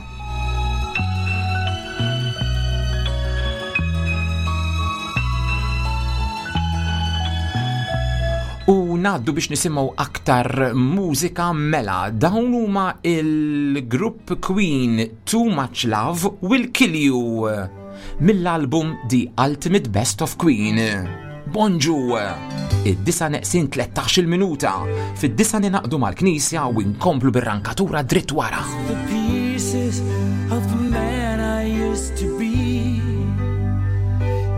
U ngħaddu biex nisimgħu aktar mużika mela dawn huma il-grupp Queen Too Much Love Will Kill You mill-album The Ultimate Best of Queen. Bonġu! Id-disa neqsin 13 minuta. Fid-disa ninaqdu mal-knisja u nkomplu bir-rankatura dritt wara. The pieces of the man I used to be.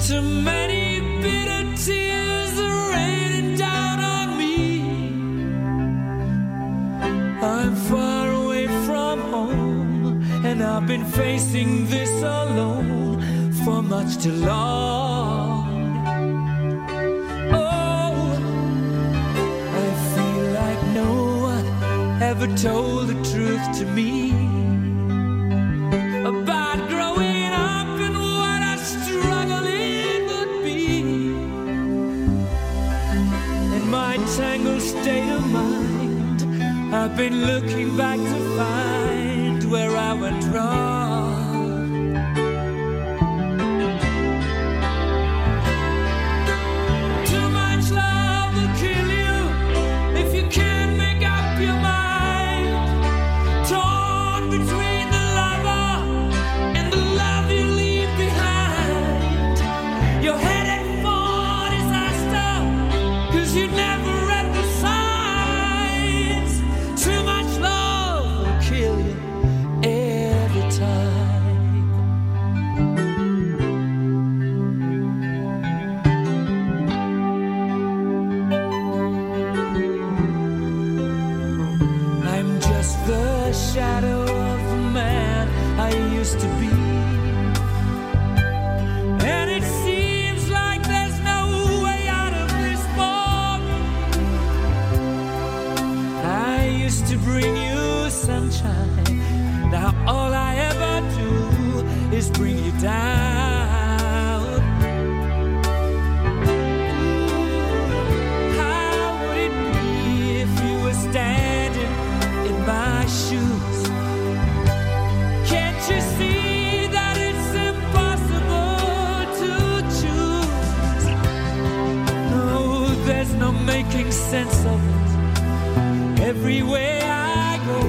Too many bitter tears are raining down on me. I'm far away from home, and I've been facing this alone for much too long. Oh, I feel like no one ever told the truth to me. I've been looking back to find where I went wrong. Too much love will kill you if you can't make up your mind. Torn between the lover and the love you leave behind. You're headed for disaster, 'cause you never read the signs. Too much love will kill you every time. I'm just the shadow of the man I used to be. And it seems like there's no way out of this for me. I used to bring you sunshine. Now all I ever do is bring you down. How would it be if you were standing in my shoes? Can't you see that it's impossible to choose? No, there's no making sense of it. Everywhere I go,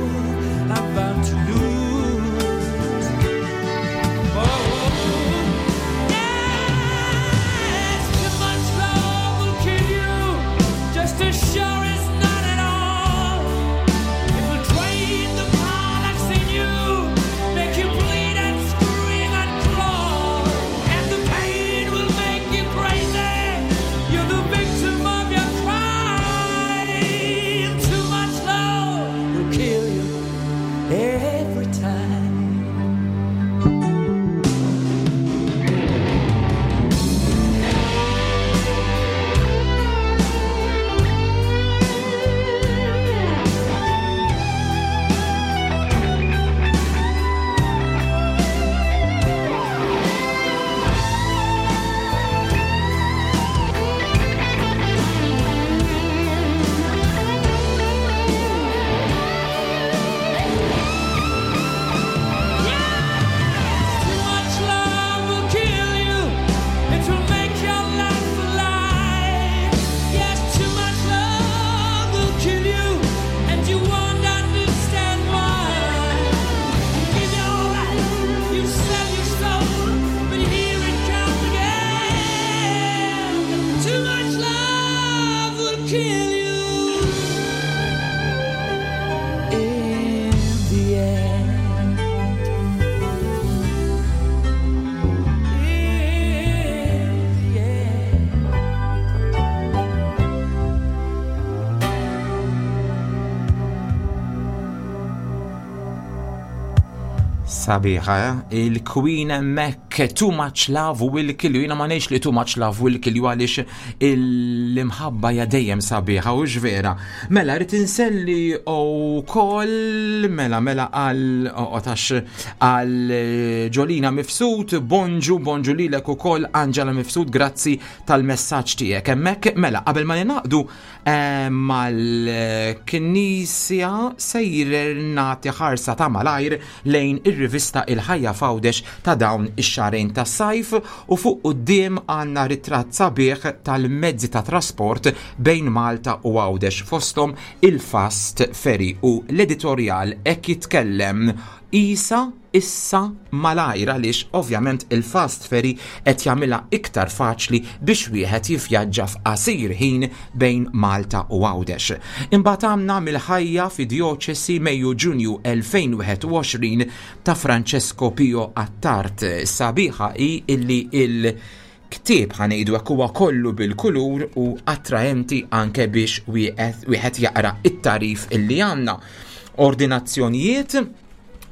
I'm bound to lose. Oh, yes, too much love will kill you, just as sure as not at all. It will drain the power that's in you, make you bleed and scream and crawl, and the pain will make you crazy. You're the victim of your crime. Too much love will kill you every time. Too much love will kill you. It will make your life a lie. Yes, too much love will kill you, and you won't understand why. You give your life, you sell your soul, but here it comes again. Too much love will kill you in the end. In the end. Sabiħa, eh? il-Queen Mac Too Much Love Will Kill You. Jina ma ngħidx li Too Much Love Will Kill You għaliex l-imħabba ja dejjem sabiħa u vera. Mela, rrid inselli u koll, mela, mela għal, otax, għal Ġolina Mifsud, bonġu, bonġu lilek u koll Angela Mifsud, grazzi tal-messaġġ tiegħek. Hemmhekk, mela, qabel ma ninaqdu mal-Knisja sejjer nagħti ħarsa ta' malajr lejn ir-rivista Il-Ħajja Fawdex ta' dawn ix-xahrejn tas-sajf u fuq quddiem għandna ritratt sabiħ tal-mezzi ta' trasport bejn Malta u Għawdex fosthom il-Fast Ferry u l-editorjal hekk jitkellem isa issa malajr għaliex ovvjament il-fast ferry qed jagħmilha iktar faċli biex wieħed jivvjaġġa f'qasir ħin bejn Malta u Għawdex. Imbagħad għamna mill-ħajja fi djoċesi Mejju Ġunju 2021 ta' Francesco Pio Attard. Sabiħa hi illi il ktieb ħanejdu hekk huwa kollu bil-kulur u attraenti anke biex wieħed jaqra it-tarif illi għandna. Ordinazzjonijiet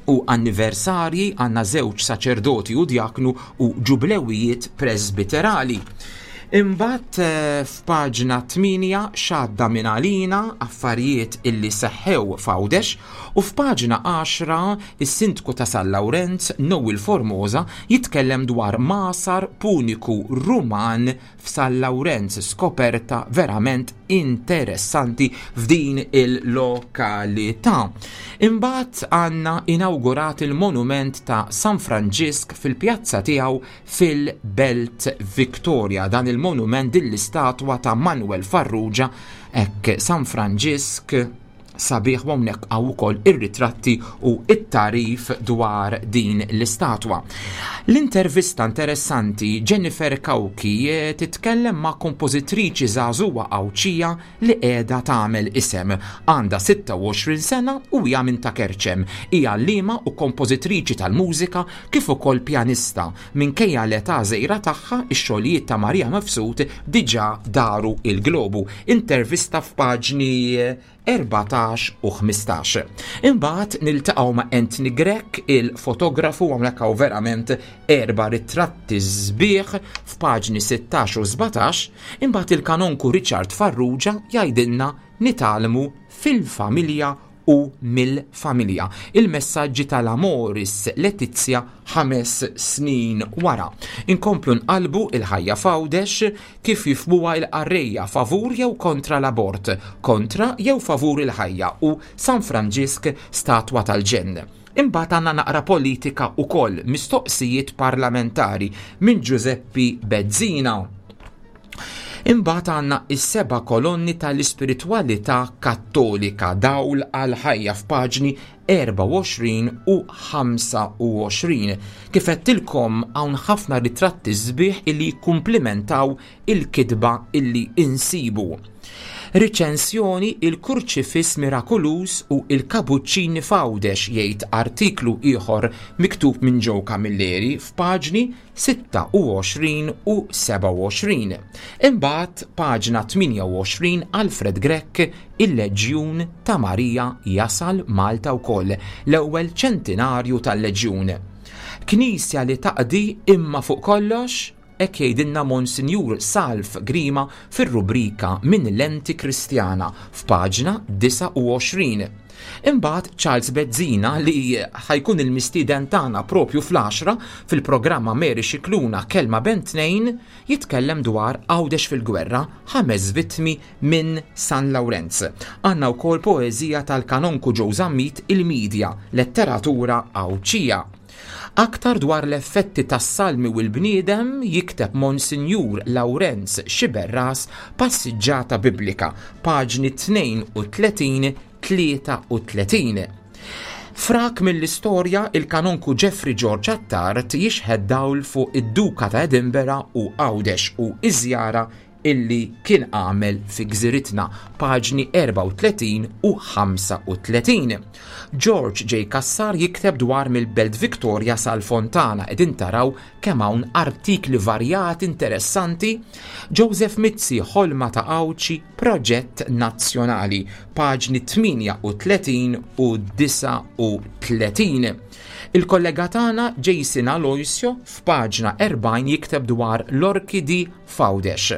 u anniversarji għandna żewġ saċerdoti u djaknu u ġublewijiet presbiterali. Imbagħad f'paġna 8 xadda minn għalina affarijiet illi seħħew f'Għawdex u f'paġna 10 is-sindku ta' San Lawrenz Noel Formosa jitkellem dwar masar puniku Ruman f'San Lawrenz, skoperta verament interessanti f'din il-lokalità. Imbagħad għandna inawgurat il-monument ta' San Franġisk fil-pjazza tiegħu fil-Belt Victoria. Dan il-monument din l-istatwa ta' Manuel Farrugia hekk San Franġisk sabiħ u hawnhekk hawn ukoll ir-ritratti u it-tarif dwar din l-istatwa. L-intervista interessanti Jennifer Cauchi eh, titkellem ma' kompożitriċi żagħżugħa Għawdxija li qiegħda tagħmel isem. Għandha 26 sena u hija minn ta' Kerċem. Hija għalliema u kompożitriċi tal-mużika kif ukoll pjanista. Minkejja l-età żgħira tagħha, ix-xogħlijiet ta' Maria Mifsud diġà daru il-globu. Intervista f'paġni 14 u 15. Imbagħad niltaqgħu ma' Anthony Grech, il-fotografu hawnhekk hawn verament erba' ritratti sbieħ f'paġni 16 u 17, imbagħad il-kanonku Richard Farrugia jgħidilna nitgħallmu fil-familja u mill-familja. Il-messaġġi tal-Amoris Letizia ħames snin wara. Inkomplu nqalbu il-ħajja f'Għawdex kif jifhmuha l-qarrejja favur jew kontra l-abort, kontra jew favur il-ħajja u San Franġisk statwa tal-ġenn. Imbagħad għandna naqra politika wkoll, mistoqsijiet parlamentari minn Ġużeppi Bezzina. Imbagħad għandna is-seba' kolonni tal-ispiritwalità Kattolika, dawl għall-ħajja f'paġni 24 u 25. Kif għedtilkom hawn ħafna ritratti sbieħ illi jikkumplimentaw il-kitba illi insibu. Riċensjoni Il-Kurċifiss Mirakuluż u Il-Kabuċċini f'Għawdex jgħid artiklu ieħor miktub minn Joe Camilleri f'paġni 26 u 27. Imbagħad paġna 28 Alfred Grech Il-Leġjun ta' Marija jasal Malta wkoll, l-ewwel ċentinarju tal-Leġjun. Knisja li taqdi imma fuq kollox Hekk jgħidilna Monsinjur Salv Grima fir-rubrika Minn Lenti Kristjana f'paġna 29. Imbagħad Charles Bezzina li ħa jkun il-mistieden tagħna propju fl-għaxra fil-programma Mary Scicluna Kelma Bejn Tnejn jitkellem dwar Għawdex fil-Gwerra, ħames vittmi minn San Lawrenz. Għandna wkoll poeżija tal-Kanonku Joe Zammit Il-Media, Letteratura Għawdxija. Aktar dwar l-effetti tas-salmi u l-bniedem jikteb Monsinjur Lawrenz Sciberras Passiġġata Biblika, paġni 32, 33. Frak mill-istorja il-Kanonku Geoffrey George Attard jixħet dawl fuq id-Duka ta' Edinburgh u Għawdex u ż-żjara illi kien għamel fi gżiritna, paġni 34 u 35. George J. Cassar jikteb dwar mill-Belt Victoria sal-Fontana qegħdin taraw kemm hawn artikli varjati interessanti. Joseph Mizzi Ħolma ta' Għawdxi Proġett Nazzjonali, paġni 38 u 39. Il-kollega tagħna Jason Aloisio f'paġna 40 jikteb dwar l-orkidi f'Għawdex.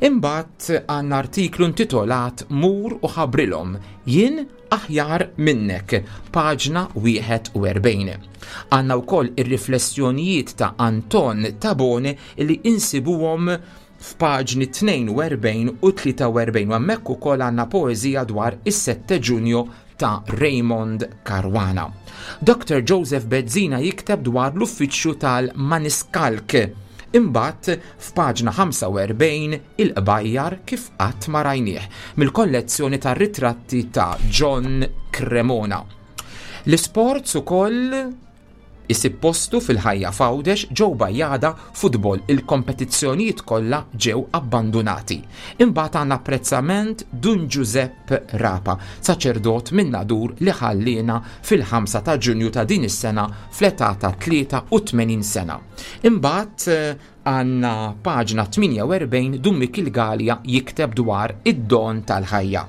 Imbagħad għandna artiklu intitolat Mur u ħabbrilhom, jien aħjar minnek, paġna 41. Għandna wkoll ir-riflessjonijiet ta' Anton Tabone li insibuhom f'paġni 42 u 43 u hemmhekk ukoll għandna poeżija dwar is-7 Ġunju ta' Raymond Caruana. Dr. Joseph Bezzina jikteb dwar l-uffiċċju tal-Maniscalc. Imbagħad f'paġna 45 il-qbajjar kif qatt ma rajnieh mill-kollezzjoni tar-ritratti ta' John Cremona. L-isports ukoll Isib postu fil-ħajja f'Għawdex Joe Bajada Futbol il-kompetizzjonijiet kollha ġew abbandunati. Imbagħad għandna apprezzament Dun Ġużepp Rapa, saċerdot minn Nadur li ħalliena fil-5 ta' Ġunju ta' din is-sena fl-età ta' 83 sena. Imbagħad Għandna paġna 48 Dun Mikiel Galea jikteb dwar id-don tal-ħajja.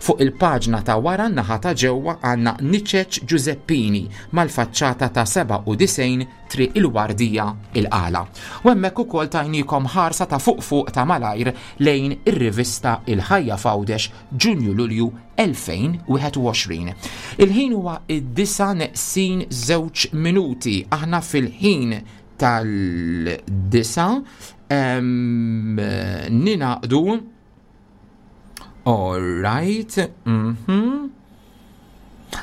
Fuq il-paġna ta' wara n-naħa ta' ġewwa għandna Niċeċ Ġużeppini mal-faċċata ta' 97 Triq il-Wardija il-Qala. U hemmhekk ukoll tajniekom ħarsa ta' fuq fuq ta' malajr lejn ir-rivista Il-Ħajja f'Għawdex Ġunju-Lulju 2021. Il-ħin huwa id-disa' neqsin żewġ minuti. Aħna fil-ħin tal-disa ninaqdu All right.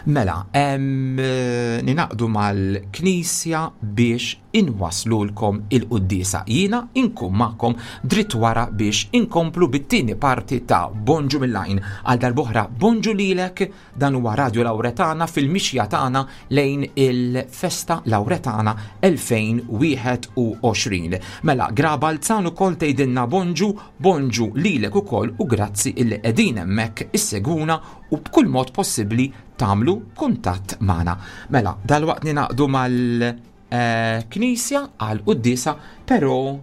Mela, ninaqdu mal-Knisja biex inwaslulkom il-quddiesa. Jiena inkun magħkom dritt wara biex inkomplu bit-tieni parti ta' Bonġu mill-Għajn. Għal darb'oħra bonġu lilek, dan huwa Radio Lawretana fil-mixja tagħna lejn il-Festa Lawretana 2021. Mela, Gra Balzan ukoll tgħidilna bonġu, bonġu lilek ukoll u grazzi illi qegħdin hemmhekk issegwuna u b'kull mod possibbli tagħmlu kuntatt magħna. Mela, dalwaqt ninaqdu mal-Knisja għal quddiesa, però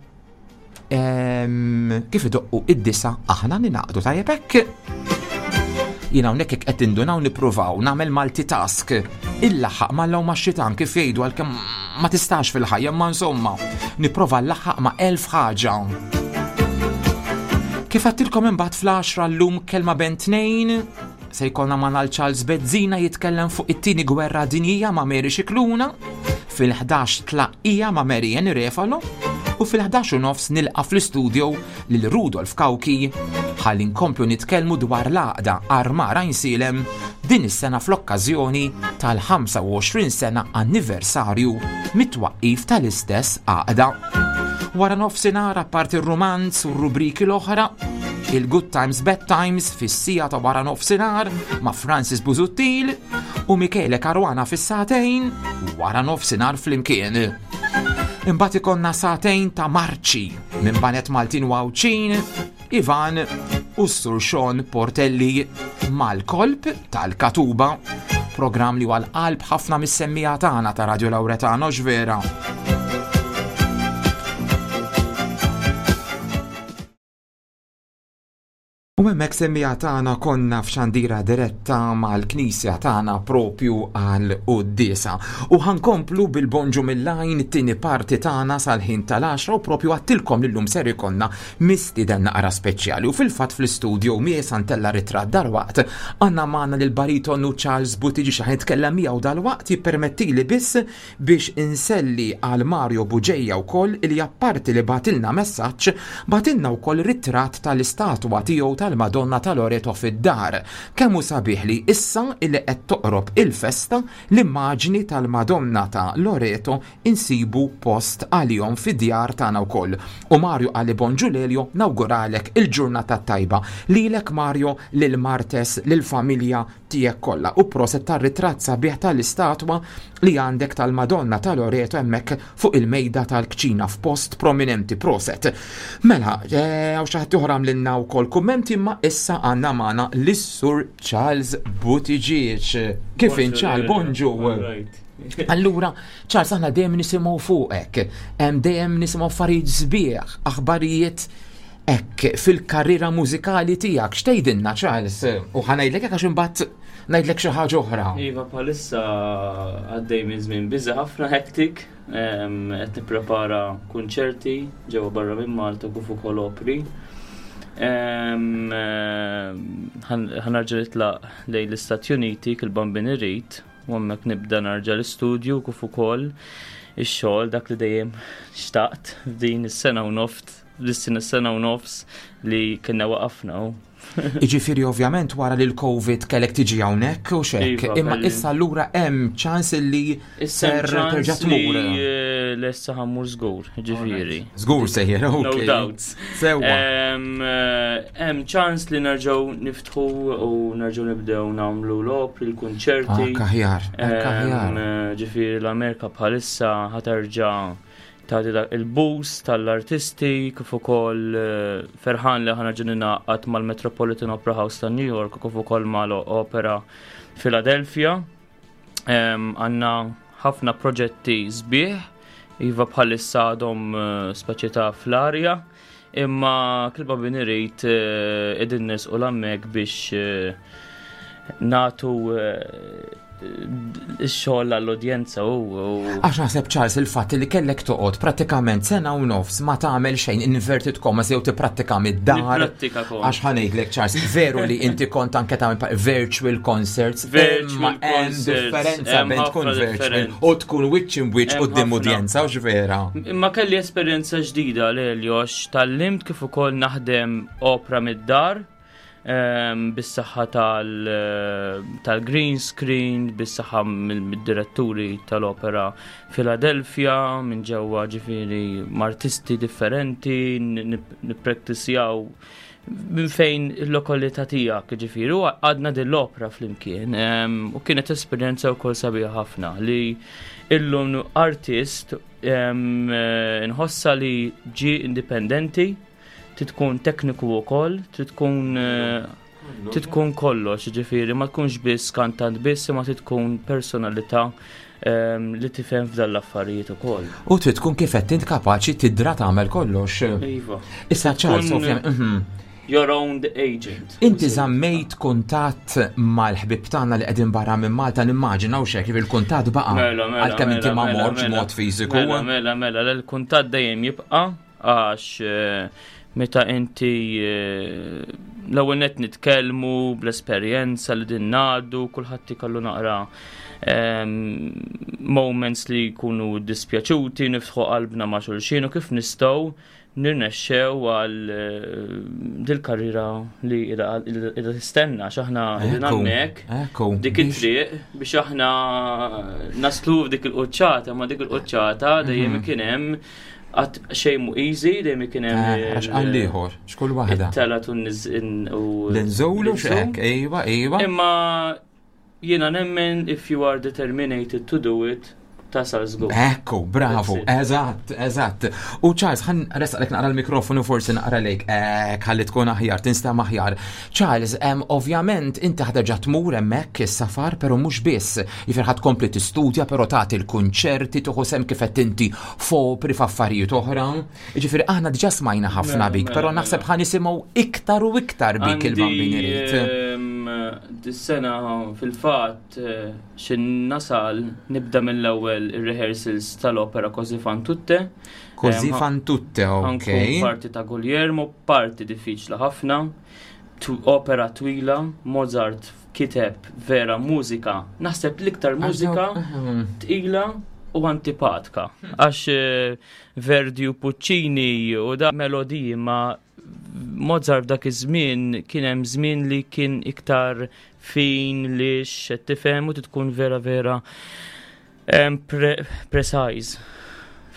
kif idoqqu id-disa aħna ninaqdu tajjeb hekk. Jiena hawnhekk jekk qed tindunaw nippruvaw nagħmel multitask. Illaħħaq mal ma' xitan kif jgħidu għalkemm ma tistax fil-ħajja, ma insomma, nipprova llaħħaq ma' elf ħaġa. Kif għattilkom imbagħad fl-10 llum kelma ben tnejn, se jkollna ma' Charles Bezzina jitkellem fuq it-tieni gwerra dinjija ma' Mary Scicluna, fil-11 tlaqqija ma' Mary Ann Refalo, u fil-11 u nofs nilqa' fl-istudio lil Rudolf Cauchi ħalli nkomplu nitkellmu dwar l-għaqda Armar Għajnsielem din is-sena fl-okkażjoni tal-25 sena anniversarju mit-twaqqif tal-istess għaqda. Wara nofsinhar apparti r-rumanz u r-rubriki l-oħra, il-Good Times Bad Times fis-sija ta' wara nofsinhar ma' Francis Busuttil u Michele Caruana fis-sagħtejn wara nofsinhar flimkien. Imbagħad ikollna sagħtejn ta' marċi minn Banet Maltin u Għawdxin, Ivan u s-Sur Sean Portelli mal-kolb tal-Katuba, programm li għal qalb ħafna mis-semmija tagħna ta' Radio Lauretano x'vera. U hemmhekk semmija tagħna konna f'xandira diretta mal-knisja tagħna propju għal quddiesa. U ħankomplu bil-bonġu mill-għajn it-tieni parti tagħna sal-ħin tal-10 u propju għattilkom li llum ser ikollna mistieden naqra speċjali. U fil-fatt fl-istudio miegħi santella ritratt darwaqt għandna magħna lil baritonu Charles Buttigieg xi ħan miegħu dalwaqt jippermettili biss biex inselli għal Mario Bugeja wkoll li apparti li bagħtilna messaġġ, bagħtilna wkoll ritratt tal-istatwa tiegħu tal-Madonna ta' Loreto fid-dar. Kemm hu sabiħ li issa illi qed toqrob il-festa, l-immaġni tal-Madonna ta' Loreto insibu post għalihom fid-djar tagħna wkoll. U Mario qalli bonġu Lelio, nawguralek il-ġurnata t-tajba. Lilek Mario, lil Martes, lill-familja tiegħek kollha u proset tar-ritratt sabiħ tal-istatwa li għandek tal-Madonna ta' Loreto hemmhekk fuq il-mejda tal-kċina f'post prominenti proset. Mela, hawn xi ħadd ieħor għamlilna wkoll kummenti imma issa għandna magħna lis-Sur Charles Buttigieg. Kif int Charles? Bonġu. Allura, Charles, aħna dejjem nisimgħu fuqek, dejjem nisimgħu affarijiet sbieħ, aħbarijiet Hekk fil-karriera mużikali tiegħek x'tgħidilna Charles? U ħa ngħidlek hekk għax imbagħad ngħidlek xi ħaġa oħra. Iva bħalissa għaddej minn żmien biża ħafna hektik, qed nipprepara kunċerti ġewwa barra minn Malta kif ukoll opri. Ħa nerġa' nitlaq lejn l-Istati Uniti kil bambin irid u hemmhekk nibda narġa' l-istudju kif ukoll ix-xogħol dak li dejjem xtaqt f'din is-sena u noft l-sena sena u nofs li kienna waqafna. Iġifieri ovvjament wara li l-Covid kellek tiġi hawnhekk u xek, iva, imma issa allura hemm ċans li ser terġa' tmur. Eh, lessa ħammur żgur, ġifieri. Żgur sejjer, ok. No doubts. Sewwa. Eh, hemm ċans li nerġgħu niftħu u nerġgħu nibdew nagħmlu l-opri, l-kunċerti. Ah, aħjar, aħjar. Eh, ġifieri l-Amerika bħalissa ħaterġa' tagħti dak il-boost tal-artisti kif ukoll eh, ferħan li ħana ġin ningħaqad mal-Metropolitan Opera House ta' New York kif ukoll mal-Opera Philadelphia. Għandna ħafna proġetti sbieħ, iva bħalissa għadhom eh, speċi ta' fl-arja, imma kilba bin irid eh, qegħdin nisqu l-hemmhekk biex natu ix-xogħol għall-udjenza u. Għax naħseb Charles il-fatt li kellek toqgħod prattikament sena u nofs ma tagħmel xejn inverted commas jew tipprattika mid-dar. Għax ħa ngħidlek Charles, veru li inti kont anke tagħmel virtual concerts, virtual concerts. Differenza bejn tkun virtual u tkun wiċċ in wiċċ quddiem udjenza u vera. Imma kelli esperjenza ġdida lejl għax tallimt kif ukoll naħdem opra mid-dar. Bis-saħħa tal-green screen, bis-saħħa mid-diretturi tal-opera Philadelphia, minn ġewwa ġifieri artisti differenti, nippraktisjaw minn fejn il-lokalità tiegħek, ġifieri, u għadna din l-opera flimkien. U kienet esperjenza wkoll sabiħa ħafna li illum artist nħossa li ġi indipendenti, trid tkun tekniku wkoll, trid tkun eh, trid tkun kollox, ġifieri ma tkunx biss kantant biss, imma trid tkun personalità li tifhem f'dan l-affarijiet ukoll. U trid tkun kif qed int kapaċi tidra tagħmel kollox. Iva. Issa Charles, ovvjament. Your own agent. Inti żammejt kuntatt mal-ħbib tagħna li qegħdin barra minn Malta nimmaġina u xek il-kuntatt baqa' Mela, mela, għalkemm inti mela, ma mela, mortx mela. mod fiżiku. Mela, mela, mela, l-kuntatt dejjem jibqa' għax meta inti l-ewwel nett nitkellmu bl-esperjenza li din ngħaddu, kulħadd ikollu naqra moments li jkunu dispjaċuti, niftħu qalbna ma' xulxin u kif nistgħu nirnexxew għal dil-karriera li qiegħda tistenna għax aħna qegħdin Ekku, hemmhekk ekku, dik it-triq biex aħna naslu f'dik il-quċċata, ma dik il-quċċata dejjem kien hemm qatt xejn mhu easy, dejjem kien hemm Għax qal ieħor, x'kull waħda. it-tela u n-niż- u L-inżulu l-inżul. x'hekk, ejwa, ejwa. Imma jiena nemmen if you are determinated to do it, tasal żgur. Ekku, bravo, That's it. eżatt, eżatt. U Charles, ħan resqalek naqra l-mikrofonu forsi naqra lejk, ek, ħalli tkun aħjar, tinstema' aħjar. Charles, ovvjament inti ħa terġa' tmur hemmhekk is-safar, però mhux biss. Jifier ħa tkompli tistudja, però tagħti l-kunċerti, tieħu sehem kif qed inti f'opri f'affarijiet oħra. Jiġifieri aħna diġà smajna ħafna Mela, bik, mela, però mela. naħseb ħa nisimgħu iktar u iktar bik il-Bambin irid. Dis-sena fil-fatt xin nasal nibda mill-ewwel ir-rehearsals tal-opera Così fan tutte. Così fan tutte, ok. Ħa nkun parti ta' Guglielmo, parti diffiċli ħafna, opera twila, Mozart kiteb vera mużika, naħseb l-iktar mużika tqila u antipatka. Għax Verdi u Puccini u da melodiji ma Mozart dak iż-żmien kien hemm żmien li kien iktar fin li qed tifhem u tkun vera vera precise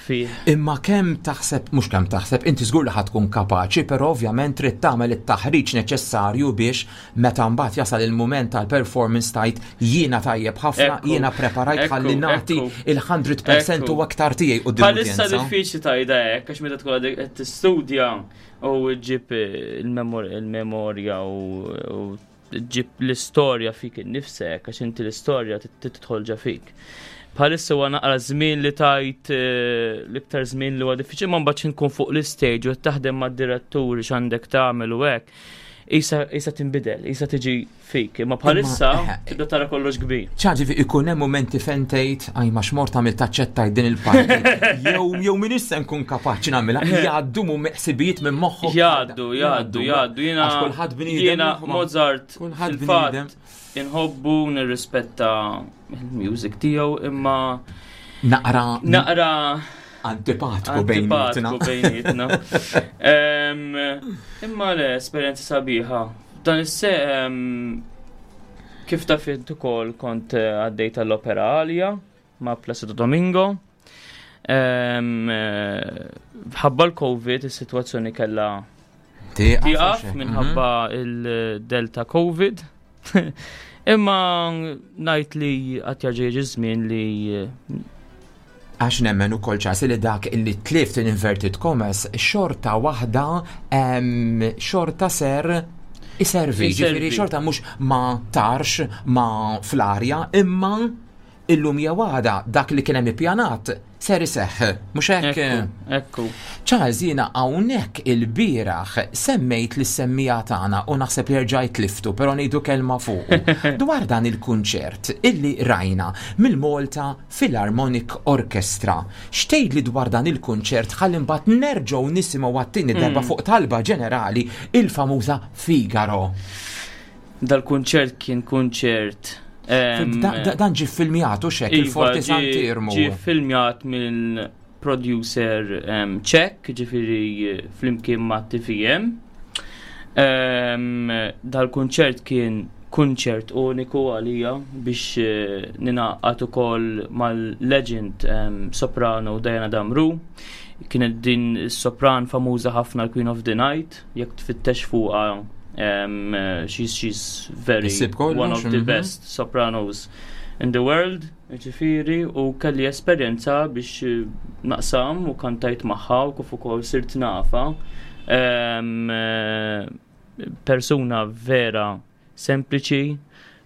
fih. Imma kemm taħseb, mhux kemm taħseb, inti żgur li ħa tkun kapaċi, però ovvjament trid tagħmel it-taħriġ neċessarju biex meta mbagħad jasal il-mument tal-performance tajt jiena tajjeb ħafna, jiena preparajt ħalli nagħti il-100% u aktar tiegħi quddiem Bħalissa l-udjenza. diffiċli tajda hekk għax meta tkun għadek qed tistudja u ġġib il-memorja u ġġib l-istorja fik innifsek għax inti l-istorja tidħol ġa fik. Bħalissa huwa naqra żmien li tajt l-iktar żmien li huwa diffiċli, ma mbagħad nkun fuq l-istage u qed taħdem mad-diretturi x'għandek tagħmel u hekk. Isa tinbidel, isa tiġi fik, imma bħalissa tibda tara kollox kbir. ċaġi fi ikun hemm momenti fejn tgħid, aj ma xmort għamil taċċettaj din il-parti. Jew min issa nkun kapaċi nagħmilha, jgħaddu mu meqsibijiet minn moħħok. Jgħaddu, jgħaddu, jgħaddu. Jiena Għax kulħadd bniedem, jiena moħħu ma- Mozart kulħadd fil-fatt bniedem. inħobbu, nirrispetta il-music tiegħu, imma Naqra naqra antipatku bejnietna. Antipatku bejnietna. Imma le, esperjenza sabiħa. Dan is-se kif taf int ukoll kont għaddej tal-Opera Alia ma' Placido Domingo. Ħabba l-Covid is-sitwazzjoni kellha Tieqaf, tieqaf għax hekk. minħabba il-Delta Covid. Imma ngħid li qatt jerġa' jiġi żmien li Għax nemmen ukoll ċasi li dak illi tlift in inverted commas xorta waħda xorta ser iservi, Iservi. ġifieri xorta mhux ma tarx ma fl-arja, imma illum jew għada dak li kien hemm ippjanat ser iseħħ, mhux hekk? Ekku, ekku. Charles, jiena hawnhekk il-bieraħ semmejt lis semmija tagħna u naħseb li rġajt liftu, però ngħidu kelma fuqu. Dwar dan il-kunċert illi rajna mill-Malta Philharmonic Orchestra. X'tgħidli dwar dan il-kunċert ħalli mbagħad nerġgħu nisimgħu għat-tieni darba fuq talba ġenerali il-famuża Figaro. Dal-kunċert kien kunċert Dan ġie filmjat u xek Iva, il-Forti Sant'Iermu. Ġie filmjat mill producer Ċek, ġifieri flimkien ma' TVM. Dal-kunċert kien kunċert uniku għalija biex ningħaqad ukoll mal-legend soprano Diana Damru. Kienet din is-sopran famuża ħafna l-Queen of the Night, jekk tfittex fuqha she's very one of the best sopranos in the world, ġifieri, u kelli esperjenza biex naqsam u kantajt magħha u kif ukoll sirt nafa. Persuna vera sempliċi,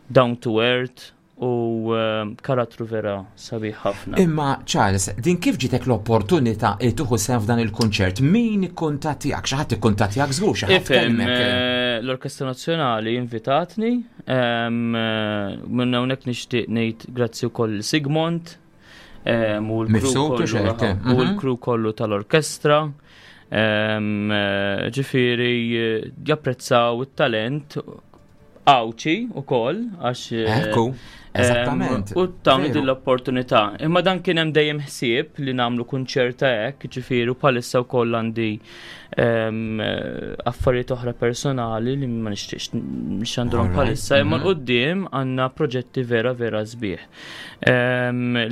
down to earth u karattru vera sabiħ ħafna. Imma Charles, din kif ġitek l-opportunità li tieħu sehem f'dan il-kunċert? Min ikkuntattjak? Xi ħadd ikkuntattjak żgur, xi ħadd kellmek. L-Orkestra Nazzjonali invitatni, minn hawnhekk nixtieq ngħid grazzi wkoll Sigmund u l-crew kollu tal-orkestra. Ġifieri japprezzaw it-talent Għawdxi ukoll għax Ekku, eżattament. U tawni din l-opportunità. Imma dan kien hemm dejjem ħsieb li nagħmlu kunċert ta' hekk, ġifieri u bħalissa wkoll għandi affarijiet oħra personali li ma nixtieqx nxandrhom bħalissa, imma l-qudiem għandna proġetti vera vera sbieħ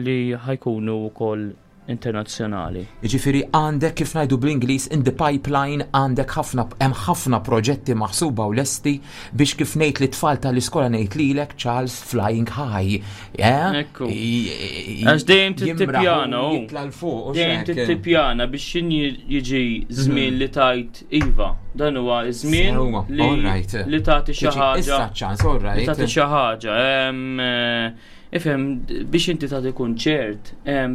li ħajkunu wkoll internazzjonali. Jiġifieri għandek kif ngħidu bl-Ingliż in the pipeline għandek ħafna hemm ħafna proġetti maħsuba u lesti biex kif ngħid lit-tfal tal-iskola ngħid lilek Charles flying high. Eh? Ekku. Għax dejjem tittipjana u jitla' 'l fuq. Dejjem tittipjana biex xin jiġi żmien li tajt iva. Dan huwa żmien li tagħti xi ħaġa. Issa ċans, all right. Li tagħti xi ħaġa. Eh, Ifhem, biex inti tagħti kunċert,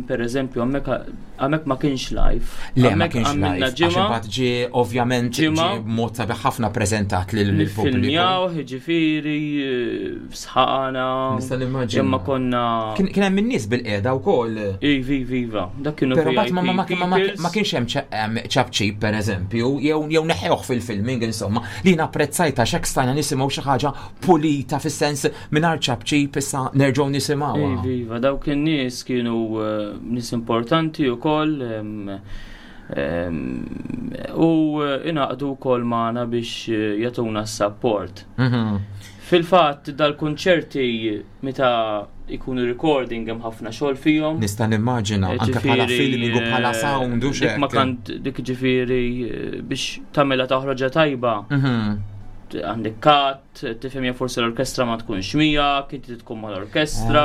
per eżempju, hemmhekk ma kienx live. Le, ma kienx live. Għax imbagħad ġie ovvjament ġie b'mod sabiħ ħafna preżentat lill-pubbliku. Filmjaw, ġifieri, sħana. Nista' nimmaġina. Imma konna. Kien hemm in-nies bil-qiegħda wkoll. Ivi, iva, dak kienu Però mbagħad ma kienx hemm ċapċip pereżempju, jew neħewh fil-filming insomma, li napprezzajt għax hekk stajna nisimgħu xi ħaġa pulita fis-sens mingħajr ċapċip issa nerġgħu nisimgħuha. Iva, iva, dawk in-nies kienu eh, nies importanti wkoll u eh, ingħaqdu wkoll magħna biex eh, jagħtuna s-sapport. Fil-fatt dal-kunċerti meta jkunu recording hemm ħafna xogħol fihom. Nista' nimmaġina anke bħala filming u bħala sound u xejn. Ma kant dik ġifieri biex tagħmilha toħroġa tajba. Għandek kat, tifhem jew forsi l-orkestra ma tkunx miegħek, inti tkun mal-orkestra.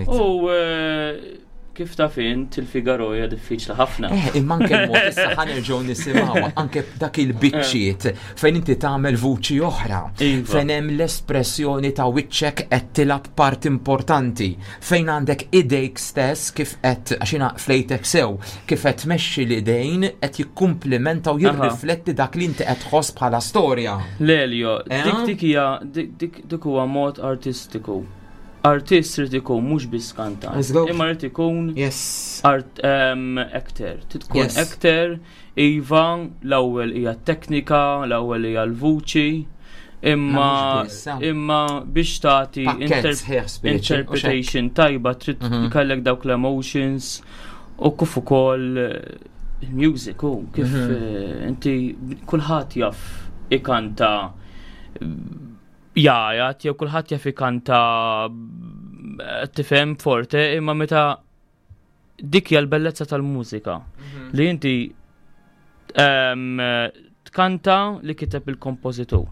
U eh, kif taf int il-Figaro hija diffiċli ħafna. Eh, imma anke l-mod issa ħanerġgħu nisimgħu anke dak il-biċċiet fejn inti tagħmel vuċi oħra, Iva. fejn hemm l-espressjoni ta' wiċċek qed tilgħab part importanti, fejn għandek idejk stess kif qed għax jiena flejtek sew, kif qed tmexxi l-idejn qed jikkumplimenta u jirrifletti dak li inti qed tħoss bħala storja. Lelio, eh? dik dik hija dik dik huwa mod artistiku. Artist trid ikun mhux biss kantant, imma trid ikun art actor. Trid tkun actor, iva, l-ewwel hija t-teknika, l-ewwel hija l-vuċi, imma imma biex tagħti interpretation tajba trid mhm. kellek dawk l-emotions u kif ukoll eh, il-music u kif mhm. eh, inti kulħadd jaf ikanta jajat jew kulħadd jaf ikanta eh, tifhem forte imma meta dik hija l-bellezza tal-mużika mhm. li inti ehm, tkanta li kiteb il-kompożitur.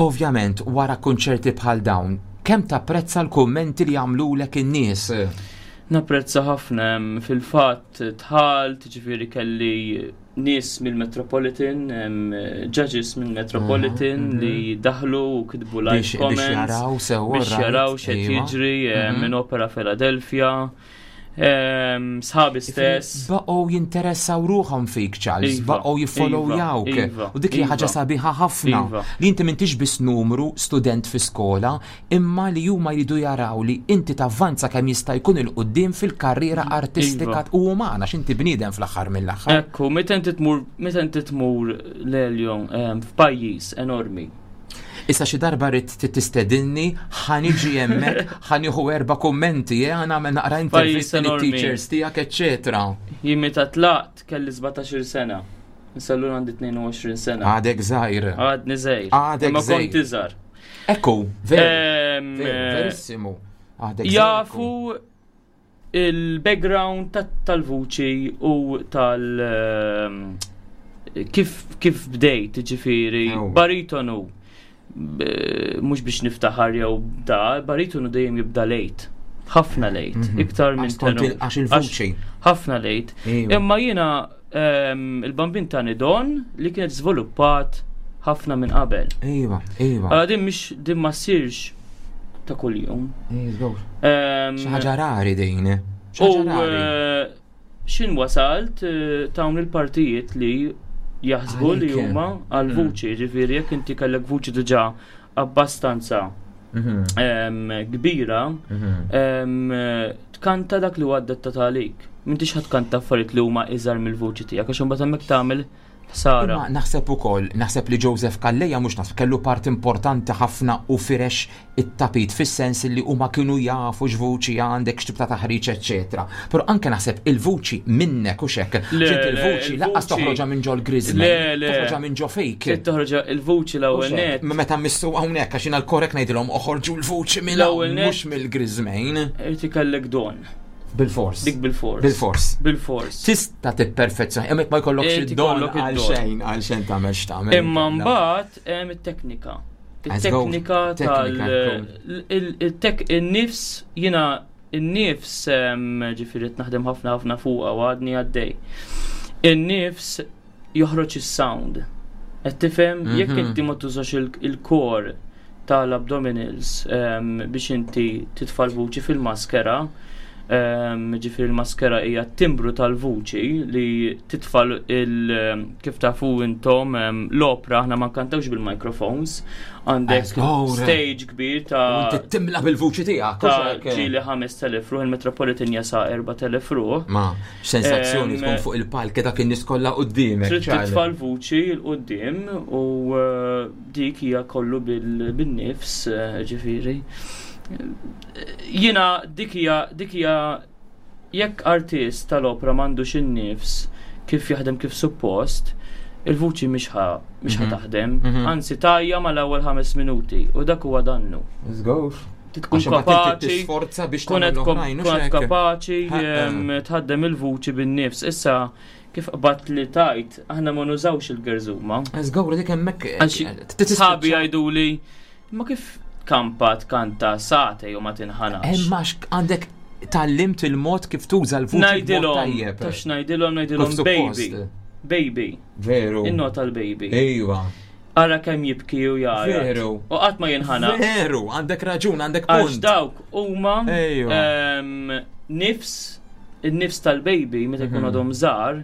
Ovvjament, wara kunċerti bħal dawn, kemm tapprezza l-kummenti li jagħmlulek in-nies? Napprezza ħafna fil-fatt tħalt, ġifieri kelli nies mill-Metropolitan, judges mill-Metropolitan mhm, li mhm. daħlu u kitbu live comments. Biex jaraw sewa. Biex jaraw xed iva. jiġri mhm. minn Opera Philadelphia. Sħabi stess. Baqgħu jinteressaw ruħhom fik, Charles, iva, baqgħu jiffollowjawk. Iva, iva, u dik hija ħaġa sabiħa ħafna. Li inti m'intix biss numru student fi skola, imma li huma jridu jaraw li inti tavvanza kemm jista' jkun 'il quddiem fil-karriera artistika u umana għax inti bniedem fl-aħħar mill-aħħar. Ekku, meta inti tmur meta inti tmur l-Elio ehm, f'pajjiż enormi. Issa xi darba rrid tistedinni, ħa niġi hemmhekk, ħa nieħu erba' kummenti, eh, ħa nagħmel naqra intervisti lit-teachers tiegħek, eċċetera. Jien meta tlaqt kelli 17-il sena. Issa llum għandi 22 sena. Għadek żgħir. Għadni żgħir. Għadek Imma żgħir. kont iżgħar. Ekku, veru. Veru, verissimu. Għadek żgħir. Jafu il-background tal-vuċi u tal- kif bdejt, ġifieri, baritonu, mhux biex niftaħar jew da, baritonu dejjem jibda late. Ħafna late, iktar minn Għax kont tenur. għax il-vuċi. Ħafna late. Imma jiena il-bambin tani don li kienet żviluppat ħafna minn qabel. Iva, iva. Allora din mhix din ma ssirx ta' kuljum. Iva, Xi ħaġa rari din. Xi U ħaġa rari. xin wasalt tawn il-partijiet li jaħsbu li Għalik. huma għal-vuċi, ġifieri jekk inti kellek vuċi diġà abbastanza kbira, tkanta dak li huwa adattat għalik. M'intix ħa tkanta affarijiet li huma iżgħar mill-vuċi tiegħek għax imbagħad hemmhekk tagħmel ħsara. Imma naħseb ukoll, naħseb li Joseph Calleja mhux naħseb kellu part importanti ħafna u firex it-tapit fis-sens li huma kienu jafu x'vuċi għandek, x'tip ta' taħriġ, eċċetera. Però anke naħseb il-vuċi minnek u xek. Le, Ġint le, il-vuċi lanqas il-vuċi- toħroġha minn ġol griżmejn, Le, le. toħroġha minn ġo fik. Trid toħroġha il-vuċi l-ewwel U xek, net. Meta missu hawnhekk għax jiena l-korrek ngħidilhom oħorġu l-vuċi minn hawn, L-ewwel net- mhux mill-griżmejn. Irid ikellek don. Bil-fors. Dik bil-fors. Bil-fors. Bil-fors. Tista' tipperfezzjoni, hemmhekk ma jkollokx Irid id-don ikollok għal id-don. xejn, għal xejn tagħmel x'tagħmel. Imma mbagħad hemm it-teknika. Let's go. It-teknika tal Teknika, il-tek in-nifs jiena in-nifs ġifieri qed naħdem ħafna ħafna fuqha u għadni għaddej. In-nifs joħroġ is-sound. Qed tifhem jekk inti ma tużax il-core tal-abdominals biex inti titfa' l-vuċi fil-maskera, ġifieri il-maskera hija t-timbru tal-vuċi li titfa' il kif tafu intom l-opra aħna ma nkantawx bil-microphones, għandek Let's go. stage kbir ta' Inti timla bil-vuċi tiegħek. ta' u xek. ġieli 5000 ruħ, il-Metropolitan jasa 4000 ruħ. Ma, sensazzjoni tkun fuq il-palk dak in-nies kollha quddiemek. Trid Charlie. titfa' l-vuċi 'l quddiem u dik hija kollu bil-nifs, ġifieri. Jiena dik hija jekk artist tal-opra m'għandux in-nifs kif jaħdem kif suppost, il-vuċi mhix ħa taħdem, anzi tajja mal-ewwel 5 minuti u dak huwa dannu. Let's go. Tkun Għax imbagħad inti kapaċi tisforza biex tkun tagħmel qed kom- l-oħrajn, u tkun qed xek. kapaċi Ha, tħaddem il-vuċi bin-nifs. Issa kif qbadt li tajt, aħna ma nużawx il-gerżuma. Let's go, dik hemmhekk. Għax sħabi jgħiduli, ma kif kampa tkanta sagħtejn u ma tinħanax. Imma għandek tgħallimt il-mod kif tuża l-vuċi b'mod Ngħidilhom, tajjeb. tax ngħidilhom, ngħidilhom Kif suppost. baby. Baby. Veru. Innota l-baby. Ejwa. Ara kemm jibki u jgħajjat. Veru. U qatt ma jinħana. Veru, għandek raġun, għandek Għax punt. dawk huma Ejwa. nifs, il-nifs tal-baby meta jkun għadhom żgħar,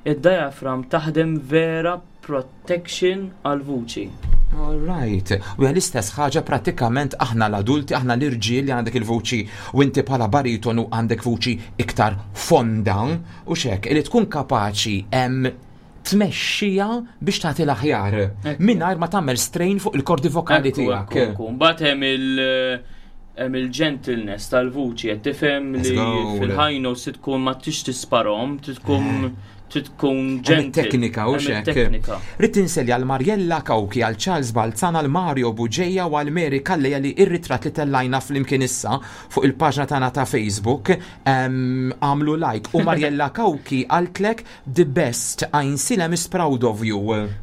id-diaphragm taħdem vera protection għal-vuċi. All right. U hija l-istess ħaġa pratikament aħna l-adulti, aħna l-irġiel li għandek il-vuċi u inti bħala baritonu għandek vuċi iktar fonda u xek, li tkun kapaċi em tmexxija biex tagħti l-aħjar mingħajr ma tagħmel strain fuq il-kordi vokali Ekku, tiegħek. ekku, ekku. Mbagħad hemm il-gentleness tal-vuċi qed tifhem Let's li go. fil-high notes trid tkun ma tix tisparhom, trid tkun Hemm gentle. it-teknika u Hemm xek. it-teknika. Rrid inselli għal Mariella Kawki, għal Charles Balzan, għal Mario Buġeja u għal Mary Calleja li ir-ritratt li tellajna flimkien issa fuq il-paġna tagħna ta' Facebook għamlu like u Mariella Kawki qaltlek the best Għajnsielem is proud of you.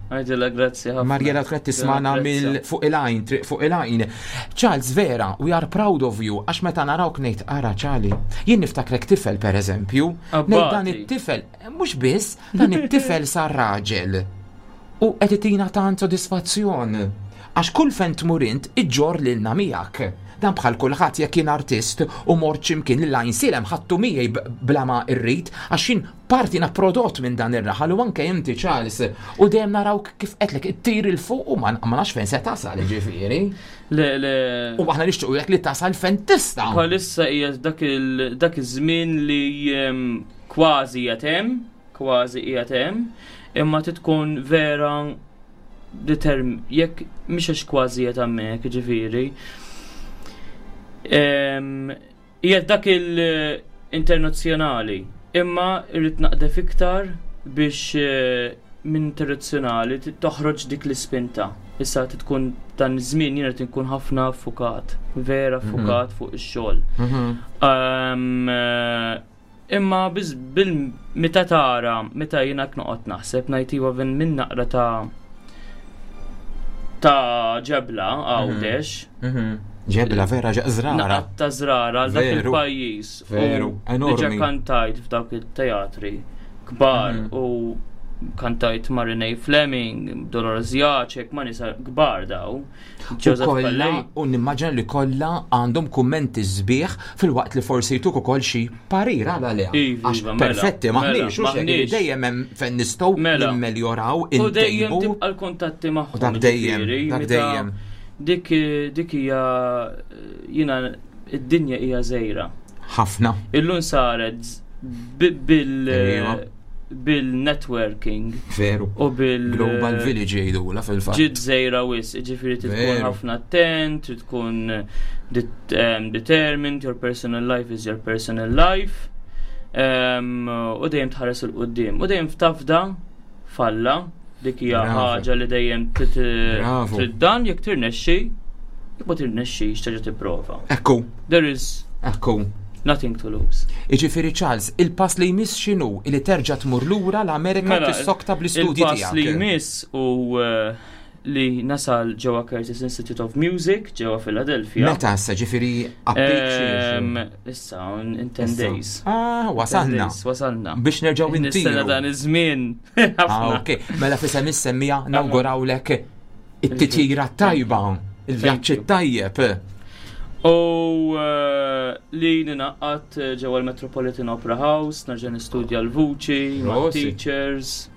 Għajdilha grazzi ħafna. Mariella tkun qed tismana Grazzi. mill fuq il-għajn, triq fuq il-għajn. Charles vera, we are proud of you, għax meta narawk ngħid ara Charlie. Jien niftakrek tifel per eżempju, ngħid dan Abbati. it-tifel, mhux biss, dan it-tifel sar raġel. U qed itina tant sodisfazzjon. Għax kull fejn tmur int iġġor lilna miegħek. Dan bħal kulħadd jekk jien artist u mort x'imkien lil Għajnsielem ħadtu miegħi bla ma rrid għax jien parti na prodott minn dan ir-raħal u anke inti Charles u dejjem narawk kif qedlek ittir 'il fuq u ma ma nafx fejn se tasal ġifieri. Le, le. U aħna nixtiequ li tasal fejn tista'. Bħalissa hija dak il dak iż-żmien li kważi qiegħed hemm, kważi qiegħed hemm, imma trid tkun vera determ jekk mhix għax kważi qiegħed hemmhekk, ġifieri. Qiegħed dak il-internazzjonali, imma irrid naqdef iktar biex minn tradizzjonali toħroġ dik l-ispinta. Issa tkun dan iż-żmien jiena qed inkun ħafna fukat, vera fukat fuq ix-xogħol. Imma biz bil meta tara, meta jiena noqgħod naħseb ngħid iva vin minn naqra ta' ta' ġebla Għawdex. Ġebla vera żrara. Naqra ta' żrara għal dak il-pajjiż. Veru, enormi. Diġà kantajt f'dawk it-teatri kbar u kantajt ma' Renee Fleming, Dolores Jacek, ma' nisa kbar daw. Joseph kollha u nimmaġina li kollha għandhom kummenti sbieħ filwaqt li forsi jtuk ukoll xi parir għal għaliha. Iva, Għax iva, mela, perfetti mela, maħniex u xek li maħniex. dejjem hemm fejn nistgħu Mela. nimmeljoraw U dejjem intejbu. tibqa' l-kuntatti magħhom. U dak dejjem, ġifieri, dak meta dejjem. Dik dik hija jiena id-dinja hija żgħira. Ħafna. Illum saret bil Ejwa. bil-networking Veru. u bil Global Village jgħidula fil-fatt. Ġiet żgħira wis, ġifieri trid tkun Veru. ħafna attent, trid tkun determined, your personal life is your personal life. U dejjem tħares 'il quddiem. U dejjem tafda falla, dik hija Bravo. ħaġa li dejjem trid Bravo. trid dan jekk tirnexxi, jekk ma tirnexxix terġa' tipprova. Ekku, There is ekku. nothing to lose. Iġifieri Charles, il-pass li jmiss x'inhu li terġa' tmur lura l-Amerika Mela, tissokta bl-istudji Il-pass li tiegħek. jmiss u li nasal ġewwa Curtis Institute of Music ġewwa Philadelphia. Meta issa ġifieri Ehm, Issa, in 10 Issa. days. Ah, 10 wasalna. days, Wasalna. Biex nerġgħu Nistenna intiru. dan iż-żmien. Ah, Ħafna. ok. Mela fisem is-semmija nawgurawlek it-titjira tajba, il-vjaġġ Thank you. tajjeb. U li ninaqat ġewwa l-Metropolitan Opera House, nerġa' nistudja l-vuċi, ma' Prosit. teachers,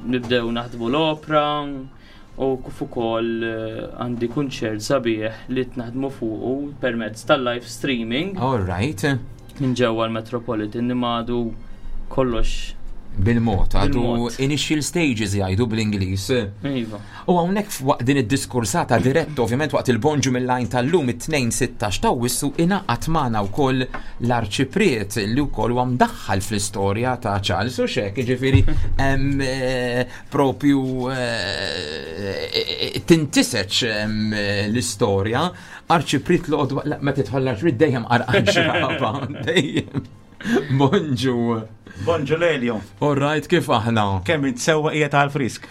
nibdew naħdmu l-opera u kif ukoll għandi kunċert sabiħ li naħdmu fuqu permezz tal-live streaming All right. minn ġewwa l-Metropolitan nimadu kollox. Bil-mod, għadu Bil-mod. initial stages jgħidu bl-Ingliż. Iva. U hawnhekk waqt din id-diskursata dirett ovvjament waqt il-bonġu mill-lajn tal-lum it-2-16 ta' wissu ingħaqad magħna wkoll l-arċipriet li wkoll huwa mdaħħal fl-istorja ta' Charles u xek, jiġifieri hemm, propju tintiseċ l-istorja arċipriet l-qodwa ma tidħol l-arċipriet dejjem qarqan xraba, dejjem. Bonġu. Bonġu Lelio, All right, kif aħna? kemm int sewwa qiegħed għal frisk.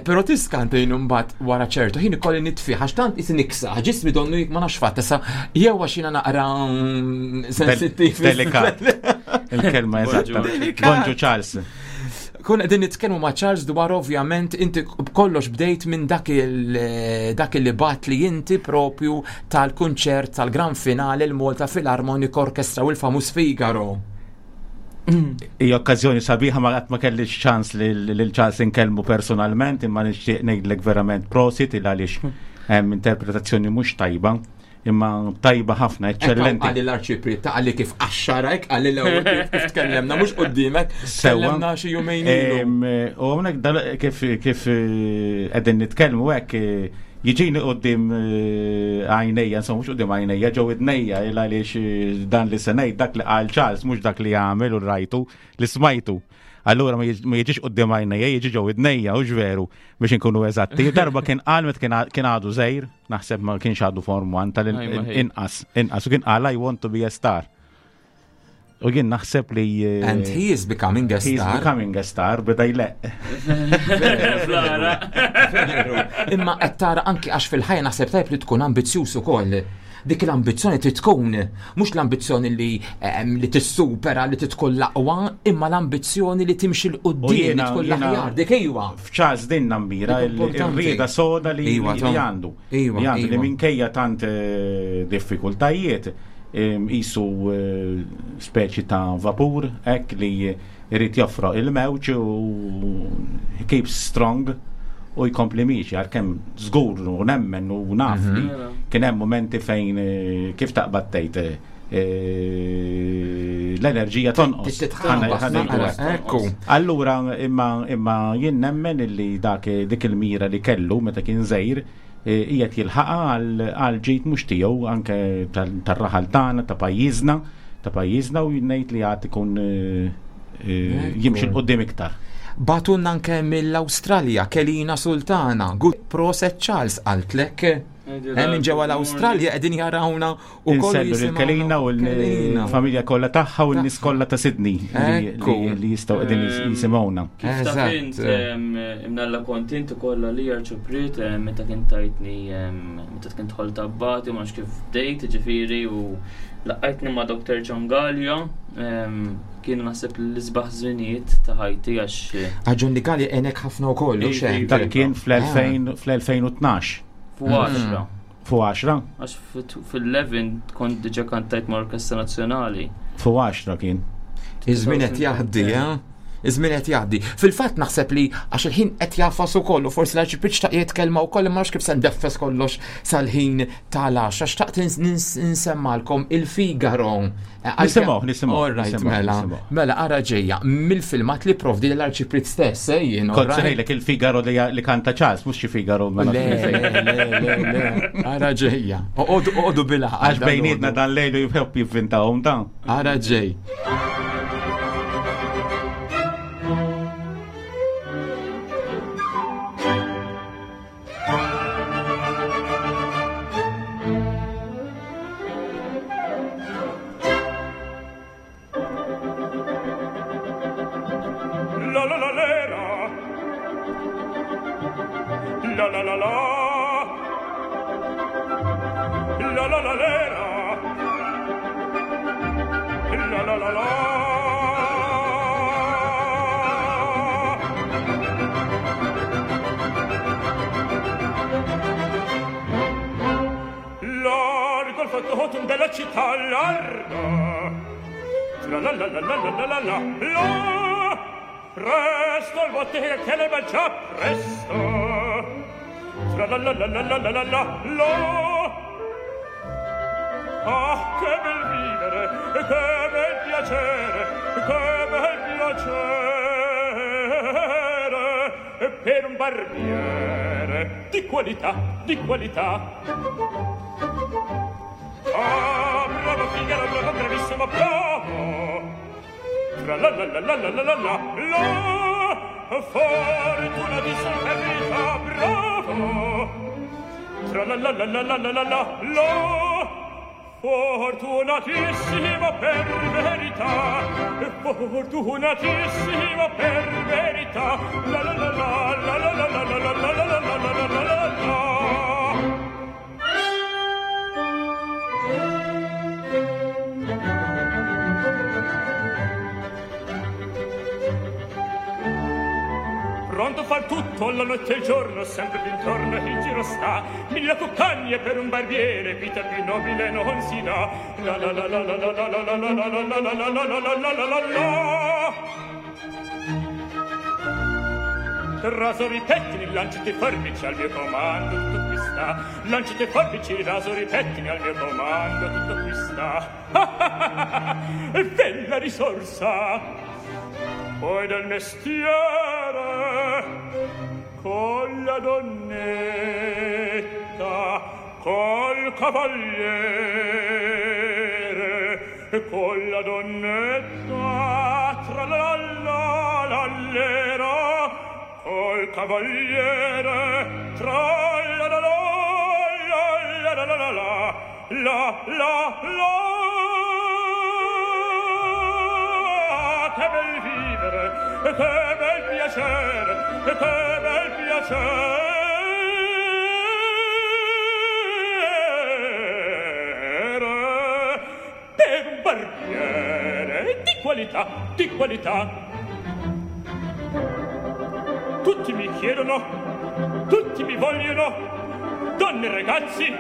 Pero tiskantejn imbagħad wara ċertu ħin ikolli nitfi għax tant is niksa, ġismi donnu ma nafx fatt issa jew għax jiena naqra sensittiv. Delikat. Il-kelma eżatta. Delikat. Bonġu Charles. Kun qegħdin nitkellmu ma' Charles dwar ovvjament inti kollox bdejt minn dak il dak li bat li inti propju tal-kunċert tal-gran finale l-Malta Philharmonic Orchestra u l-famuż Figaro. Hija okkażjoni sabiħa ma qatt ma kellix ċans lil Charles inkellmu personalment imma nixtieq ngħidlek verament prosit il għaliex hemm interpretazzjoni mhux tajba imma tajba ħafna, eċċellenti. Għalli l-arċipriet ta' għalli kif qaxxarek, għalli l-ewwel kif kif tkellemna mhux qudiemek, Sewwa. tkellemna xi jumejn ilu. U hawnhekk kif kif qegħdin nitkellmu hekk jiġini quddiem għajnejja, insomma mhux quddiem għajnejja, ġew idnejja il għaliex dan li se ngħid dak li qal Charles mhux dak li għamel u rajtu li smajtu. Allura ma jiġix quddiem għajnejja, jiġi ġew idnejja u veru biex inkunu eżatti. Darba kien qal meta kien għadu żgħir, naħseb ma kienx għadu form 1 tal-inqas, inqas u kien qal I want to be a star. U jien naħseb li And he is becoming a He's star. becoming a star, beda jleq. Flara. Veru. Imma qed tara anki għax fil-ħajja naħseb tajb li tkun ambizzjuż ukoll. Dik l-ambizzjoni trid tkun, mhux l-ambizzjoni li tissupera li tkun l-aqwa, imma l-ambizzjoni li timxi l U quddiem li jiena- tkun jiena- l-aħjar. Dik iwa. F'Charles din nammira Dik importanti. il-rieda soda li Iwa, li Tom. għandu. Iwa, Li għandu li iwa. minkejja tant diffikultajiet isu speċi ta' vapur, hekk li jrid joffroq il-mewġ u he keeps strong u jkompli miexi għalkemm żgur u nemmen u naf li kien hemm momenti fejn kif taqbad tgħid l-enerġija tonqos. Titħabas, Ħa ngħidu naqra, hekk. ekku. Allura imma imma jien nemmen illi dak dik il-mira li kellu meta kien żgħir qiegħed jilħaqha għal ġid mhux tiegħu anke tar-raħal tagħna ta' pajjiżna ta' pajjiżna u ngħid li għad ikun jimxi 'l quddiem iktar. Bagħtulna anke mill-Awstralja Kelina Sultana. Good proset Charles qaltlek. Hemm minn ġewwa l-Awstralja qegħdin jarawna u kollu jisimgħu. Kelina u l-familja kollha tagħha u n-nies kollha ta' Sydney li jistgħu qegħdin jisimgħuna. Kif taf int imnalla kont int ukoll li arċipriet meta kien tajtni meta kien tħol tabbati ma kif bdejt ġifieri u laqajtni ma' Dr. John Gallia kienu naħseb l-isbaħ żminijiet ta' ħajti għax. Għax John Gallia għenek ħafna wkoll, u xejn. Dak kien fl-2012. Fu 10. Fu 10? Għax fil-11 kont diġa kantajt ma' Orkestra Nazzjonali. Fu 10 kien. Iż-żmien qed jgħaddi, eh? Iż-żmien qed jgħaddi. Fil-fatt naħseb li għax il-ħin qed jafas ukoll u forsi l-arċipriet xtaq jitkellma wkoll imma kif se ndeffes kollox sal-ħin tal-għaxra. Xtaqt insemmalkom il-Figaro. Nisimgħu, nisimgħu. All right, mela. Mela ara ġejja mill-filmat li provdi l-arċipriet stess, eh, jien. Kont se ngħidlek il-Figaro li kanta Charles, mhux xi Figaro. Mela. Le, le, le, le. Ara ġejja. Oqogħdu bila. Għax bejnietna dan lejlu jħobb jivvintahom dan. Ara ġej. La la la lera. La la la la. La la la lera. La la la la. Largo il fatto della città, largo. La la la la la la la la la. Presto al bottega che le mangia presto. Tra la la la la la la la la la. Ah, che bel vivere, che bel piacere, che bel piacere per un barbiere di qualità, di qualità. Ah, bravo Figaro, bravo, bravissimo, bravo. Tra la la la la la la la la la. Fortuna di verità, bravo. Tra la la la la la la la la la. Fortunatissimo per verità, fortunatissimo per verità. La la la la la la la la la la la la la la la la la. Pronto far tutto la notte e il giorno, sempre d'intorno in giro sta. Mille cuccagne per un barbiere, vita più nobile non si dà. La la la la la la la la la la la la la la la la la la la la. Rasori, pettini, lancette e forbici al mio comando, tutto qui sta. Lancette e forbici, rasori, pettini al mio comando, tutto qui sta. E bella risorsa! Poi del mestiere, con la donnetta, col cavaliere, con la donnetta, tra la la la lera, col cavaliere, tra la la la la la la la la la la. Che bel vivere, che bel piacere, che bel piacere per un barbiere di qualità, di qualità. Tutti mi chiedono, tutti mi vogliono, donne e ragazzi,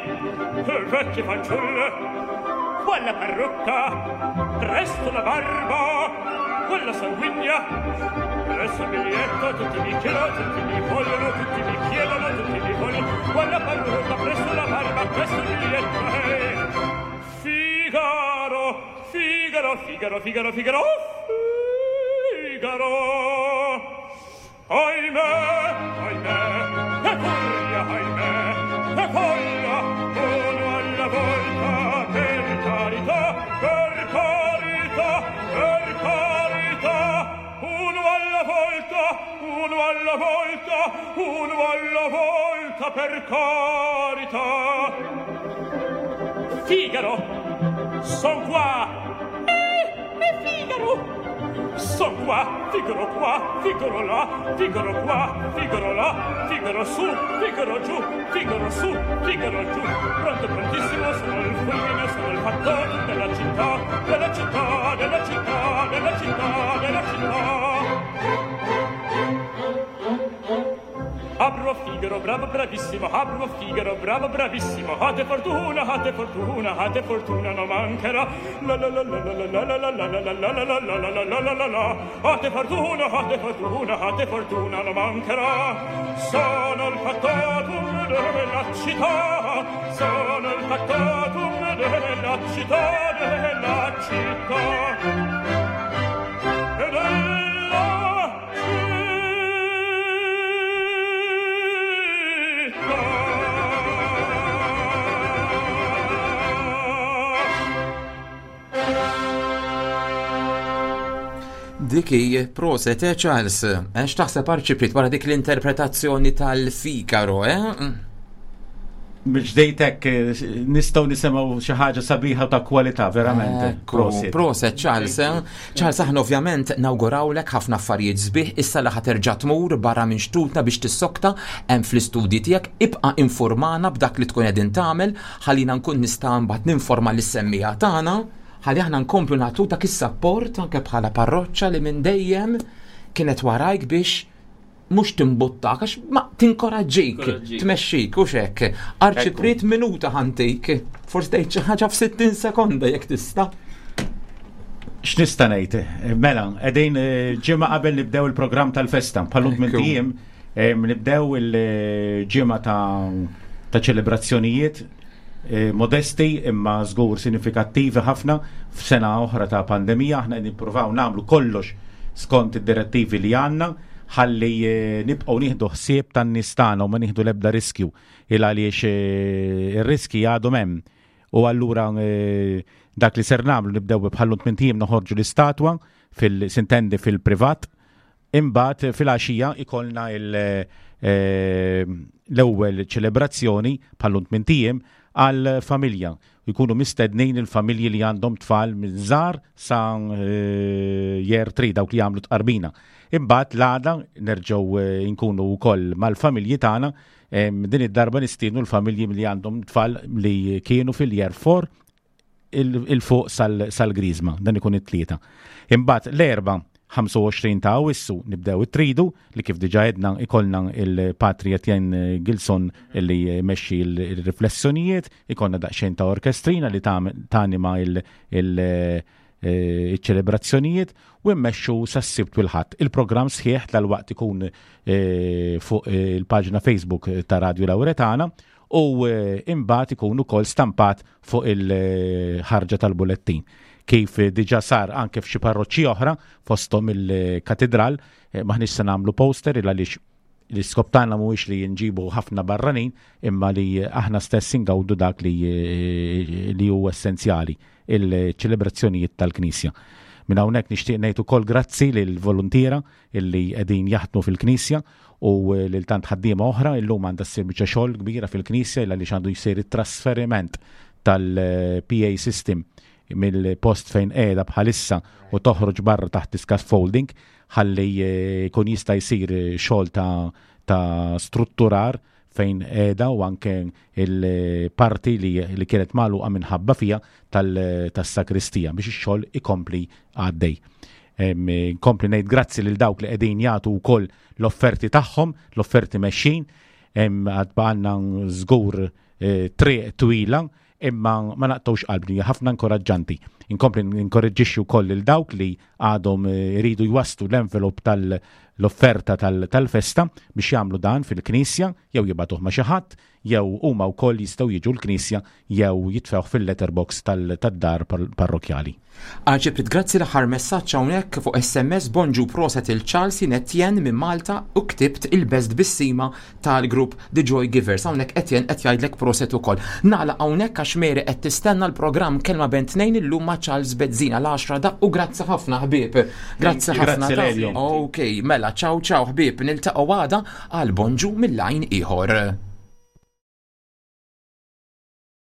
vecchie fanciulle, quella parrucca, presto la barba, quella sanguigna, presto il biglietto, tutti mi chiedono, tutti mi vogliono, tutti mi chiedono, tutti mi vogliono, quella parrucca, presto la barba, presto il biglietto, hey. Figaro, Figaro, Figaro, Figaro, Figaro, Figaro. Ahimè, ahimè, che furia, ahimè, che folla, uno alla volta, per carità, per carità, per carità, uno alla volta. Uno alla volta per carità. Figaro, son qua. Eh, Figaro. Son qua, Figaro qua, Figaro là, Figaro qua, Figaro là, Figaro su, Figaro giù, Figaro su, Figaro giù. Pronto, prontissimo, sono il fulmine, sono il fattore della città, della città, della città, della città, della città. Apro Figaro, bravo, bravissimo, apro Figaro, bravo, bravissimo. Ate fortuna, ate fortuna, ate fortuna non mancherà. La la la la la la la la la la la la la la la la la la la la. Ate fortuna, ate fortuna, ate fortuna non mancherà. Sono il factotum della città, sono il factotum della città, della città. E della Dik hi proset, eh Charles? Eh, x'taħseb Arċipriet wara dik l-interpretazzjoni tal-Figaro, eh? Bil-ġdejt hekk eh, nistgħu nisimgħu xi ħaġa sabiħa ta' kwalità verament. Proset. Proset Charles. Eh? Charles aħna ovvjament nawgurawlek ħafna affarijiet sbieħ issa li ħaterġa' tmur barra minn xtutna biex tissokta hemm fl-istudji tiegħek ibqa' informana b'dak li tkun qegħdin tagħmel ħallina nkun nista' mbagħad ninforma lis-semmiegħa tagħna ħalli aħna nkomplu nagħtu dak is-sapport anke bħala parroċċa li minn dejjem kienet warajk biex mhux timbuttak għax ma tinkoraġġik, tmexxik u xek. Arċipriet minuta ħantik, forsi tgħid xi ħaġa f'60 sekonda jekk tista'. X'nista' ngħid? Mela, qegħdin eh, ġimgħa qabel nibdew il-programm tal-festa, bħallu minn tiem eh, nibdew il-ġimgħa ta' ċelebrazzjonijiet Eh, modesti imma żgur sinifikattivi ħafna f'sena oħra ta' pandemija aħna qed nippruvaw nagħmlu kollox skont id-direttivi li għandna ħalli eh, nibqgħu nieħdu ħsieb tan-nies tagħna u ma nieħdu l-ebda riskju il għaliex eh, ir-riski għadhom hemm. U allura dak li ser nagħmlu nibdew bħallu tmien noħorġu l-istatwa fil-sintendi fil-privat Imbagħad filgħaxija ikollna l-ewwel ċelebrazzjoni bħal tmint ijiem għall-familja. Jkunu mistednin il-familji li għandhom tfal minn żgħar sa year 3 dawk li jagħmlu tqarbina. Imbagħad l-għada nerġgħu nkunu wkoll mal-familji tagħna din id-darba nistiednu l-familji li għandhom tfal li kienu fil-year 4 il-fuq sal-Griżma, dan ikun it-tlieta. Imbagħad l-erba' 25 ta' Awwissu nibdew it-tridu li kif diġà għedna ikollna il-Patri Etienne Gilson li jmexxi l-riflessjonijiet, ikollna daqsxejn ta' orkestrina li tanima il-ċelebrazzjonijiet u mmexxu sas-Sibt u l-Ħadd. Il-programm sħiħ dalwaqt ikun eh, fuq eh, il-paġna Facebook ta' Radio Lauretana u eh, imbagħad ikun ukoll stampat fuq il-ħarġa tal-bulettin. Kif diġà sar anke f'xi parroċċi oħra fosthom il-katedral, eh, maħniex se nagħmlu poster il għaliex l-iskop tagħna mhuwiex li nġibu ħafna barranin imma li aħna stess ingawdu dak li, eh, li hu essenzjali il-ċelebrazzjonijiet tal-Knisja. Minn hawnhekk nixtieq ngħid ukoll grazzi lil voluntiera illi qegħdin jaħdmu fil-Knisja u lil tant ħaddiema oħra illum għandha ssir biċċa xogħol kbira fil-Knisja illa għaliex għandu jsir it-trasferiment tal-PA system mill-post fejn qiegħda bħalissa u toħroġ barra taħt scaffolding ħalli eh, jkun jista' jsir xogħol ta' ta' strutturar fejn qiegħda u anke il-parti li, li kienet magħluqa minħabba fija tas-sakristija biex ix-xogħol ikompli għaddej. Nkompli ngħid grazzi lil dawk li qegħdin jagħtu wkoll l-offerti tagħhom, l-offerti mexxin, għad baqgħalna żgur eh, triq twila imma ma naqtgħux qalbni, hija ħafna inkoraġġanti. Inkompli ninkoraġġixxi wkoll lil dawk li għadhom eh, iridu jwasslu l-envelop tal-offerta tal-festa biex jagħmlu dan fil-knisja jew jibgħatuh ma' xi ħadd. jew huma wkoll jistgħu jiġu l-knisja jew jitfgħuh fil-letterbox tad-dar parrokkjali. Arċipriet grazzi l-aħħar messaġġ hawnhekk fuq SMS bonġu proset il Charles jien Etienne minn Malta u ktibt il-best bissima tal-grupp The Joy Givers hawnhekk Etienne qed jgħidlek proset ukoll. Nagħlaq hawnhekk għax Mary qed tistenna l-programm Kelma Bejn Tnejn illum ma' Charles Bezzina l-għaxra daqq u grazzi ħafna ħbieb. Grazzi ħafna. Grazzi Lelio. Ok, mela ciao ciao ħbieb niltaqgħu għada għal bonġu mill-għajn ieħor.